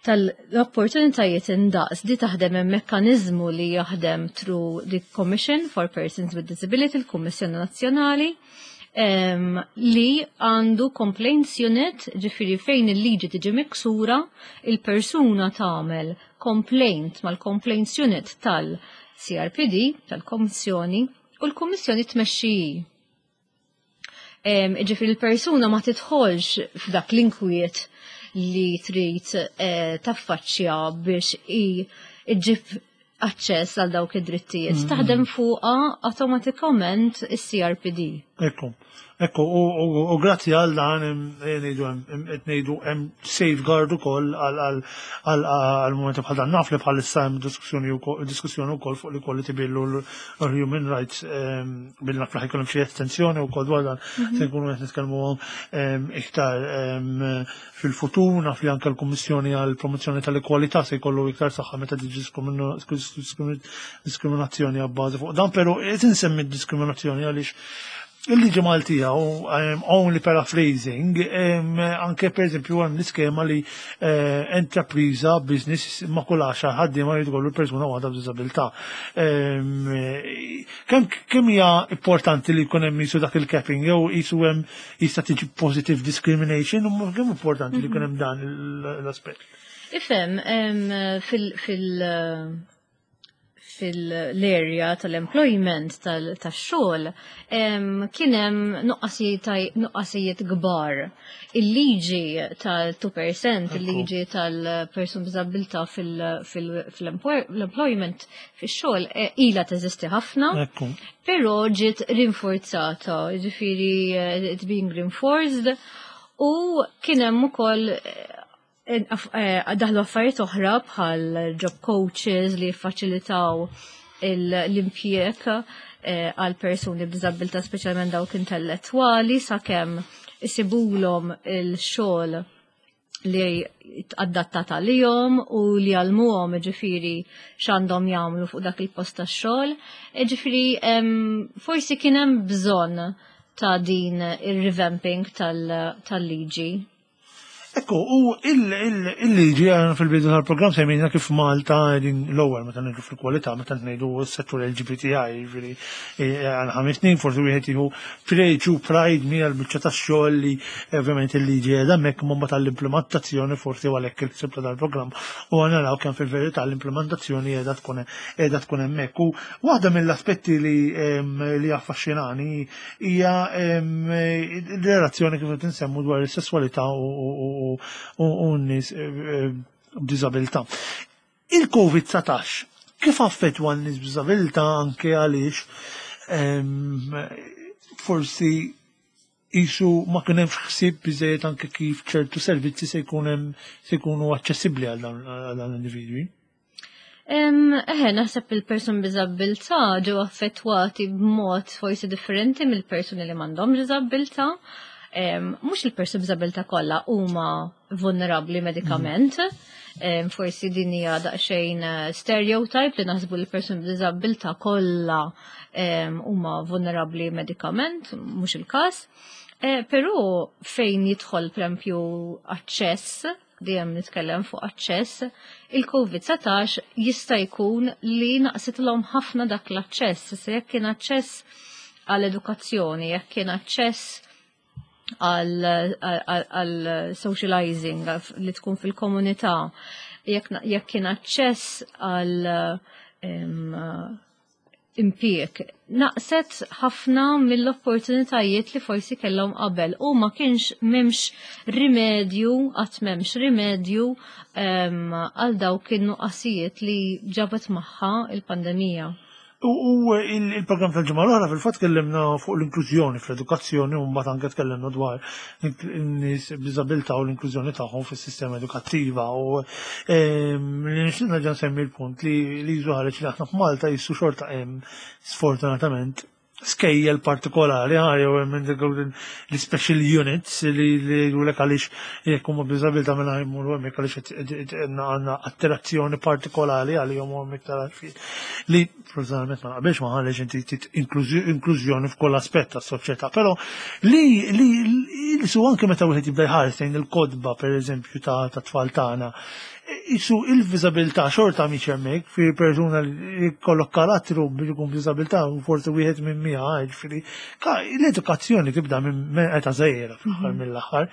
S2: tal-opportunitajiet indaqs. Di taħdem hemm mekkaniżmu li jaħdem through the Commission for Persons with Disability, il-Kummissjoni Nazzjonali, li għandu complaints unit, ġifieri fejn il-liġi tiġi miksura, il-persuna tagħmel complaint mal-complaints unit tal-CRPD, tal-Kommissjoni, u l-Kummissjoni tmexxi. Ġifieri l-persuna ma tidħolx f'dak l-inkwiet li trid taffaċċja biex iġġib aċċess għal dawk id-drittijiet. Taħdem fuqha awtomatikament is-CRPD.
S1: Ekku, u grazzi għal dan qed ngħidu hemm safeguard ukoll għal momenti bħal dan. Naf li bħalissa hemm diskussjoni wkoll fuq l-equality bill u l-human rights bill, naf li ħajkun hemm xi estensjoni wkoll dwar dan, se nkunu qed nitkellmu iktar fil-futur. Naf li anke l-Kummissjoni għal promozzjoni tal-ekwalità se jkollu iktar saħħa meta tiġi diskriminazzjoni għabbażi fuq dan, però qed insemmi diskriminazzjoni għaliex il-liġi Maltija u only paraphrasing, anke per eżempju hemm l-iskema li enterpriża, business ma kull 10 ħaddiema jrid ikollu persuna waħda b'diżabilità. Kemm hija importanti li jkun hemm jisu dak il-capping jew jisu hemm jista' tiġi positive discrimination u kemm importanti li jkun hemm dan l-aspett?
S2: Ifhem, fil-area tal-employment tax-xogħol kien hemm nuqqasijiet kbar. Il-liġi tal-2%, il-liġi tal-person b'diżabilità fil-employment fix-xogħol ilha teżisti ħafna, però ġiet rinforzata, ġifieri it's being reinforced u kien hemm ukoll daħlu affarijiet oħra bħal job coaches li jiffaċilitaw l-impjieg għal persuni b'diżabilità, speċjalment dawk intellettwali, sakemm isibulhom il-xogħol li adattat għalihom u li jgħallmuhom ġifieri x'għandhom jagħmlu fuq dak il-post tax-xogħol. Ġifieri forsi kien hemm bżonn ta' din ir-revamping tal-liġi.
S1: Ekku, u il-liġi għana fil-bidu tal-program semmejna kif Malta din l-ewwel meta ngħidu fil-kwalità, meta ngħidu s-settur LGBTI, ġifieri għal 5 snin forsi wieħed jieħu preġu pride mija l-biċċa tax-xogħol li ovvjament il-liġi qiegħda hemmhekk, imma tal-implementazzjoni forsi għalhekk il-ħsieb ta' dal-programm u għana naraw kemm fil-verità l-implementazzjoni qiegħda tkun hemmhekk. U waħda mill-aspetti li affaxxinani hija il-relazzjoni kif qed insemmu dwar is-sesswalità u n-nies b'diżabilità. Il-COVID-19 kif affettwa n-nies b'diżabilità, anke għaliex forsi Qisu ma kien hemmx ħsieb biżejjed anke kif ċertu servizzi se jkun hemm se jkunu aċċessibbli għal dawn l-individwi.
S2: Eħe, naħseb il-persuni b'diżabbiltà ġew affettwati b'mod forsi differenti mill-persuni li m'għandhomx diżabbiltà. Mhux il-persuni b'diżabbiltà kollha huma vulnerabbli medikament. Forsi din hija daqsxejn eh, stereotype li naħsbu li persuni b'diżabbiltà kollha huma vulnerabbli medikament, mhux il-każ. Eh, però fejn jidħol pereżempju aċċess, dejjem nitkellem fuq aċċess, il-COVID-19 jista' jkun li naqsitlhom ħafna dak l-aċċess, se jekk kien aċċess għall-edukazzjoni, jekk kien aċċess għal socializing li tkun fil-komunità, jekk kien aċċess għal impjieg. Naqset ħafna mill-opportunitajiet li forsi kellhom qabel u ma kienx m'hemmx rimedju, qatt m'hemmx rimedju għal dawk in-nuqqasijiet li ġabet magħha il-pandemija.
S1: U il-programm tal-ġimgħa l-oħra fil-fatt tkellimna fuq l-inklużjoni fl-edukazzjoni u mbagħad anke tkellimna dwar in-nies b'diżabilità u l-inklużjoni tagħhom fis-sistema edukattiva u ehm, li nixtieq nerġa' nsemmi l-punt li li ħareġ li aħna f'Malta jissu xorta hemm sfortunatament skejjel partikolari, ħa jew hemm l-special units li jgħidulek għaliex jekk huma b'diżabilità mela jmorru hemmhekk għaliex għandna attirazzjoni partikolari għalihom u hemm iktar għarfien. Li personalment ma naqbilx ma għaliex inti trid inklużjoni f'kull aspett tas-soċjetà, però li li li su anke meta wieħed jibda jħares lejn il-kotba pereżempju ta' tfal tagħna, Isu il-viżabilità xorta mhix hemmhekk, fi persuna li jkollok karattru biex ikun b'diżabilità forsi wieħed minn miha, jiġifieri l-edukazzjoni tibda minn età żgħira fl-aħħar mhm. mill-aħħar.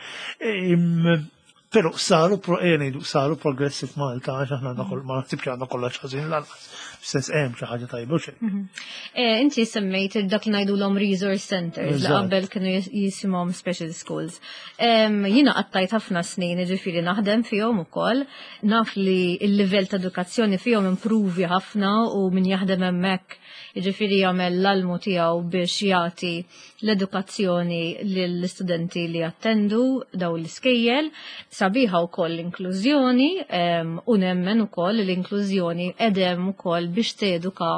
S1: Però saru eh, ngħidu saru progressi f'Malta għax aħna għandna ma naħsibx għandna kollox ħażin lanqas. F'sens hemm xi ħaġa tajba xejn. Mhm.
S2: Eh, inti semmejt dak li ngħidulhom resource centers li qabel kienu jisimhom special schools. Jiena qattajt ħafna snin ġifieri naħdem fihom ukoll, naf li l-livell ta' edukazzjoni fihom impruvi ħafna u min jaħdem hemmhekk jiġifieri jagħmel l-almu tiegħu biex jagħti l-edukazzjoni lill-istudenti li jattendu dawn l-iskejjel. Sabiħa wkoll l-inklużjoni u nemmen ukoll l-inklużjoni edem ukoll biex teduka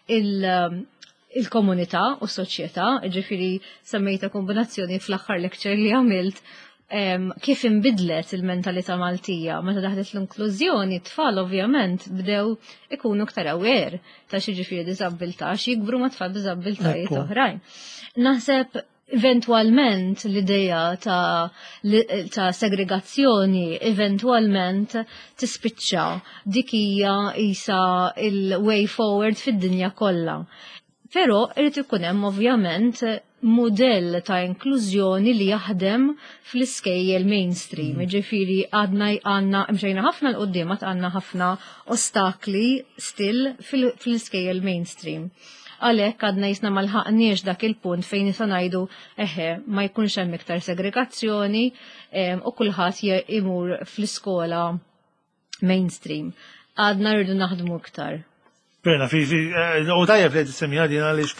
S2: il- il-komunità u s-soċjetà, ġifiri semmejta kombinazzjoni fl-aħħar lecture li għamilt kif inbidlet il-mentalità Maltija meta daħlet l-inklużjoni, tfal ovvjament bdew ikunu iktar aware ta' xi ġifieri diżabbiltà, jikbru ma' tfal b'diżabbiltajiet oħrajn. Naħseb Eventwalment l-idea ta', ta segregazzjoni eventwalment tispiċċa dik hija isa il-way forward fid-dinja kollha. Però irid ikun hemm ovvjament mudell ta' inklużjoni li jaħdem fl-iskejjel mainstream. Mm. Ġifieri għadna għandna mxejna ħafna l-qudiem għandna ħafna ostakli still fl-iskejjel mainstream. Għalhekk għadna jisna ma lħaqniex dak il-punt fejn nista' ngħidu eħe ma jkunx hemm iktar segregazzjoni u kulħadd imur fl-iskola mainstream. Għadna rridu naħdmu iktar.
S1: Bena, fi, fi, eh, u tajjeb li tissemmi għadin għaliex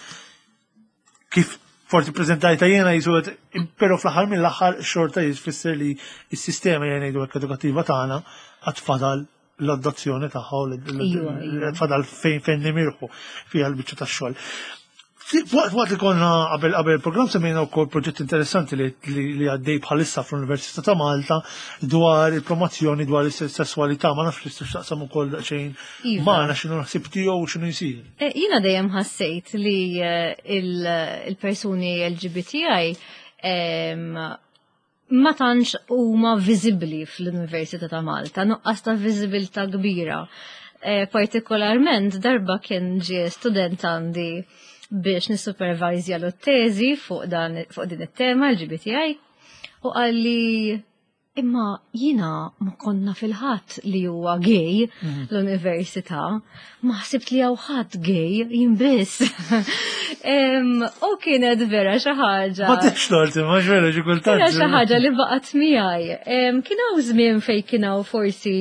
S1: kif forsi prezentajta jena jisu pero fl-aħħar mill-aħħar xorta jisfisser li s-sistema jena jgħidu edukattiva tagħna għad fadal l-adozzjoni tagħha iva, iva. fadal fejn fejn nimirħu fiha l-biċċa tax-xogħol. Waqt li konna qabel qabel il-programm semmejna wkoll proġett interessanti li għaddej bħalissa fl-Università ta' Malta dwar il-promozzjoni dwar is-sesswalità ma nafx li taqsam ukoll daqsxejn iva. magħna x'inhu ħsieb tiegħu u x'inhu jsir.
S2: Eh, jiena dejjem ħassejt li eh, il-persuni LGBTI ma tantx huma viżibbli fl-Università ta' Malta, nuqqas ta' viżibilità kbira. E, partikolarment darba kien ġie student għandi biex nissupervajzja l-teżi fuq dan fuq din it-tema LGBTI u qalli imma jina ma konna fil-ħadd li huwa gay mhm. l-università, ma ħsibt li hawn ħadd gay jien biss. U kienet vera xi ħaġa.
S1: Ma tix tort, ma vera xi kultant.
S2: Xi ħaġa li baqgħet miegħi. Kien hawn żmien fejn kien hawn forsi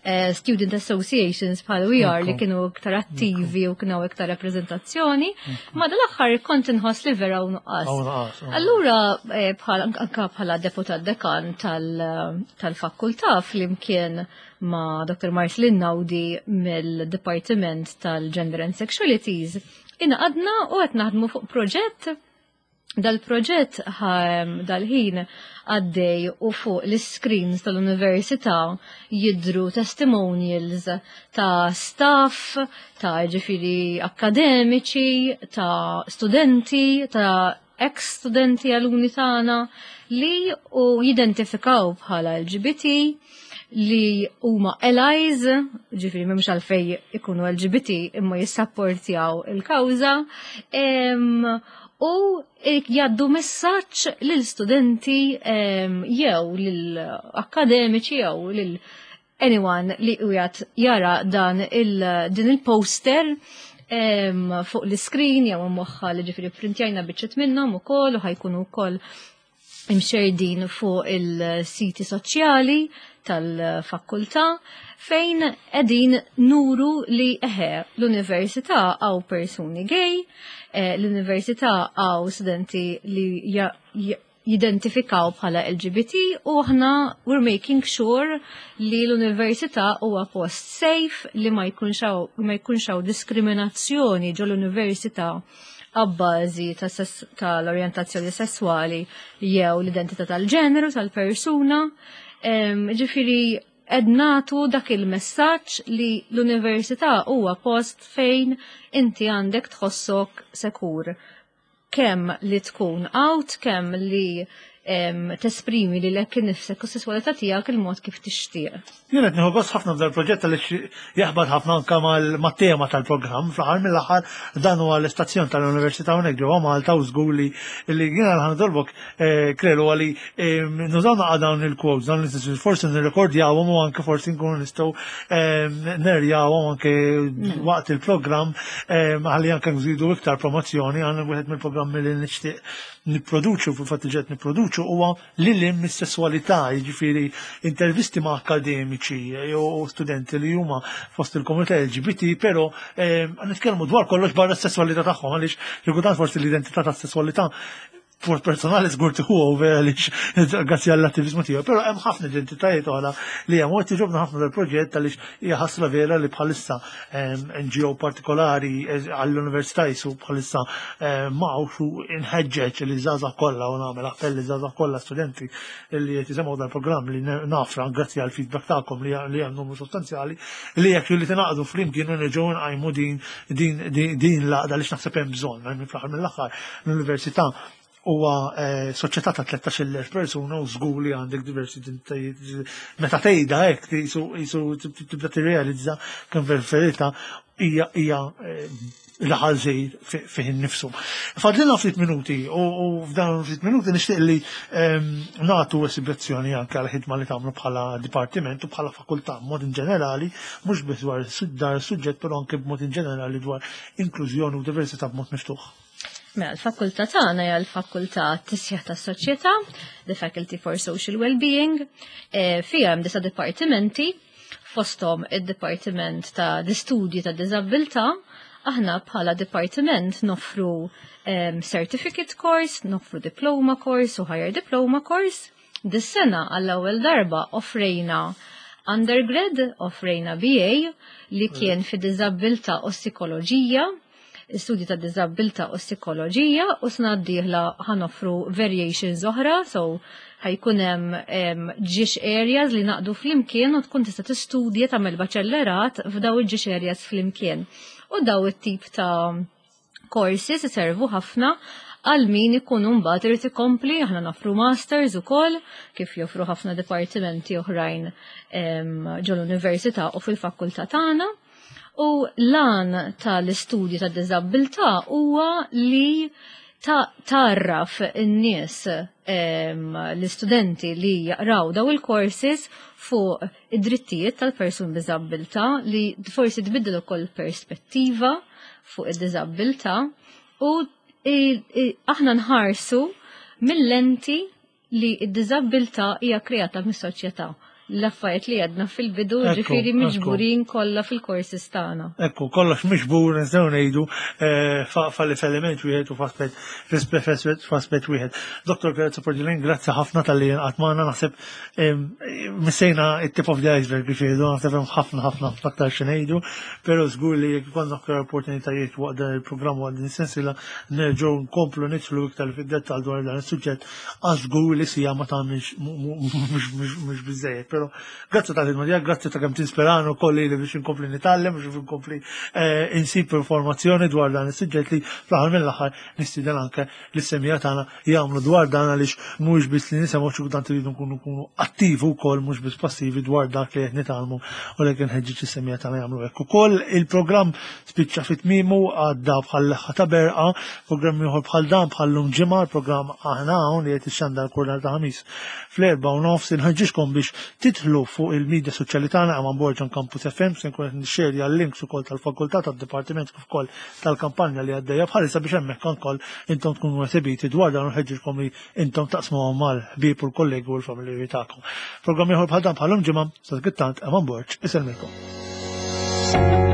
S2: Student associations bħal We Are li kienu iktar attivi u kienu iktar rappreżentazzjoni, ma dal-aħħar kont inħoss li vera u nuqqas. Allura bħal anka bħala deputat dekan tal-fakultà flimkien ma' Dr. Marcelin Naudi mill-Departiment tal-Gender and Sexualities, ingħaqadna u qed naħdmu fuq proġett. Dal-proġett dal-ħin għaddej u fuq l-screens tal-università jidru testimonials ta' staff, ta' ġifiri akademiċi, ta' studenti, ta' ex-studenti alumni tagħna li u jidentifikaw bħala LGBT, li huma allies, ġifiri m'hemmx għalfej ikunu LGBT imma jissapportjaw il-kawża, u jgħaddu messaġġ lil studenti jew lil akademiċi jew lil anyone li qiegħed jara dan il din il-poster fuq l-screen jew moħħa li ġifiri printjajna biċċiet minnhom ukoll u ħa jkunu wkoll imxerdin fuq il-siti soċjali tal-fakultà, fejn qegħdin nuru li eħe, l-università hawn persuni gay, l-università hawn studenti li jidentifikaw bħala LGBT u aħna we're making sure li l-università huwa post safe, li ma jkunx hawn diskriminazzjoni ġo l-università għabbażi tal-orjentazzjoni sessuali jew l-identità tal-ġeneru tal-persuna. Ġifiri, qed nagħtu dak il-messaġġ li l-università huwa post fejn inti għandek tħossok sekur. Kemm li tkun out, kemm li tesprimi lilek innifsek u sessualità tiegħek il-mod kif tixtieq.
S1: Jien qed nieħu gost ħafna f'dal proġett għaliex jaħbad ħafna anke mat-tema tal-programm. Fl-aħħar mill-aħħar dan huwa l-istazzjon tal-Università hawnhekk ġewwa Malta u żgur li jiena ħa nitolbok, Klelu, għali nużaw naqa dawn il-quotes, dawn l forsi nirrekordjawhom u anke forsi nkunu nistgħu nerjawhom anke waqt il-programm ħalli anke nżidu iktar promozzjoni għal wieħed mill-programmi li nixtieq nipproduċu, fil-fatt ġed nipproduċu, huwa lil hinn mis-sesswalità, jiġifieri intervisti ma' akademiċi u studenti li huma fost il-komunità LGBT, però nitkellmu dwar kollox barra s-sesswalità tagħhom, għaliex xi kultant forsi l-identità tas-sesswalità for personali żgur tieħu over għaliex grazzi għall-attivizmu tiegħu, però hemm ħafna identitajiet oħra li hemm u qed jogħġobna ħafna dal-proġett għaliex hija ħasra vera li bħalissa NGO partikolari għall-università jisu bħalissa m'hawnx u inħeġġeġ li żgħażagħ kollha u nagħmel appell li żgħażagħ kollha, studenti li qed jisimgħu dal-programm, li nafra grazzi għal feedback tagħkom li hemm numru sostanzjali, li jekk li tingħaqdu flimkien u nerġgħu nqajmu din l-għaqda li naħseb hemm bżonn. Minn fl-aħħar mill-aħħar l-università huwa soċjetà ta' 13,000 persuna u żgur li għandek diversi identitajiet. Meta tgħidha hekk jisu tibda tirrealizza kemm fil-verità hija raħal żgħir fih innifsu. Fadlilna ftit minuti u f'dan ftit minuti nixtieq li nagħtu esibizzjoni anke għal ħidma li tagħmlu bħala dipartiment u bħala fakultà b'mod in ġenerali, mhux biss dwar dar suġġett, però anke b'mod in ġenerali dwar inklużjoni u diversità b'mod miftuħ.
S2: Mela, l-fakultà tagħna hija l-fakultà tisjaħ tas-soċjetà, the Faculty for Social Wellbeing, fiha hemm disa' dipartimenti, fosthom id-Dipartiment ta' l-Istudji ta' Diżabilità. Aħna bħala dipartiment noffru certificate course, noffru diploma course u higher diploma course. Dis-sena għall-ewwel darba offrejna undergrad, offrejna BA li kien fi diżabilità u psikoloġija, studji ta' diżabilità u psikoloġija, u sena d-dieħla ħa noffru variations oħra, so ħa jkun hemm ġiex areas li naqdu flimkien u tkun tista' tistudja, tagħmel baċellerat f'daw il-ġiex areas flimkien. U daw it-tip ta' courses iservu ħafna għal min ikun mbagħad irid ikompli. Aħna noffru masters ukoll, kif joffru ħafna dipartimenti oħrajn ġol-università u fil-fakultà tagħna. U l-għan tal-istudju ta' diżabilità huwa li tarraf in-nies, l-istudenti li jaqraw daw il-courses, fuq id-drittijiet tal-persun b'diżabilità, li forsi tbiddel ukoll perspettiva fuq id-diżabilità u aħna nħarsu mill-lenti li id-diżabilità hija kreata mis-soċjetà. l-affarijiet li għedna fil-bidu, ġifieri miġburin kollha fil-courses tagħna.
S1: Ekku, kollox miġbur nistgħu ngħidu eh, f'element wieħed u f'aspett wieħed. Dr. Piazza Porġilin, grazzi ħafna tal-li jinqat magħna naħseb missejna it-tip of the iceberg kif jgħidu, naħseb hemm ħafna ħafna aktar xi ngħidu, però żgur li jekk ikollna aktar opportunitajiet waqt dan il-programm waqt din is-sensiela nerġgħu nkomplu nidħlu iktar fid-dettall dwar dan is-suġġett għax żgur li sija ma tagħmilx mhux biżejjed, però grazzi tal-ħidma tiegħek, grazzi ta' kemm tinspirana wkoll li biex inkompli nitgħallem biex inkompli eh, insib informazzjoni dwar dan is-suġġett li fl-aħħar mill-aħħar nistieden anke lis-semija tagħna jagħmlu dwar dan għaliex mhuwiex biss li nisimgħu xi kultant iridu nkunu nkunu attivi wkoll mhux biss passivi dwar dak li qed nitgħallmu u lek inħeġġeġ is-semija tagħna jagħmlu hekk ukoll. Il-programm spiċċa fi tmiemu għadda bħal leħħa ta' berqa, programm ieħor bħal dan bħal lum ġimgħa, l-programm aħna hawn li qed ixxandar kull nhar ta' Ħamis fl-4:30 inħeġġiġkom biex tidħlu fuq il-medja soċjali tagħna Eman Borg on Campus FM se nkun qed nixxerja l-links ukoll tal-fakultà tad-dipartiment kif ukoll tal-kampanja li għaddejja bħalissa biex hemmhekk ukoll intom tkunu esibiti dwar dan u nħeġġiġkom li intom taqsmuhom mal-ħbieb u l-kollegi u l-familjari tagħkom. Programm ieħor bħal dan bħal-lum ġimgħa, sa tant Eman Borg isellmilkom.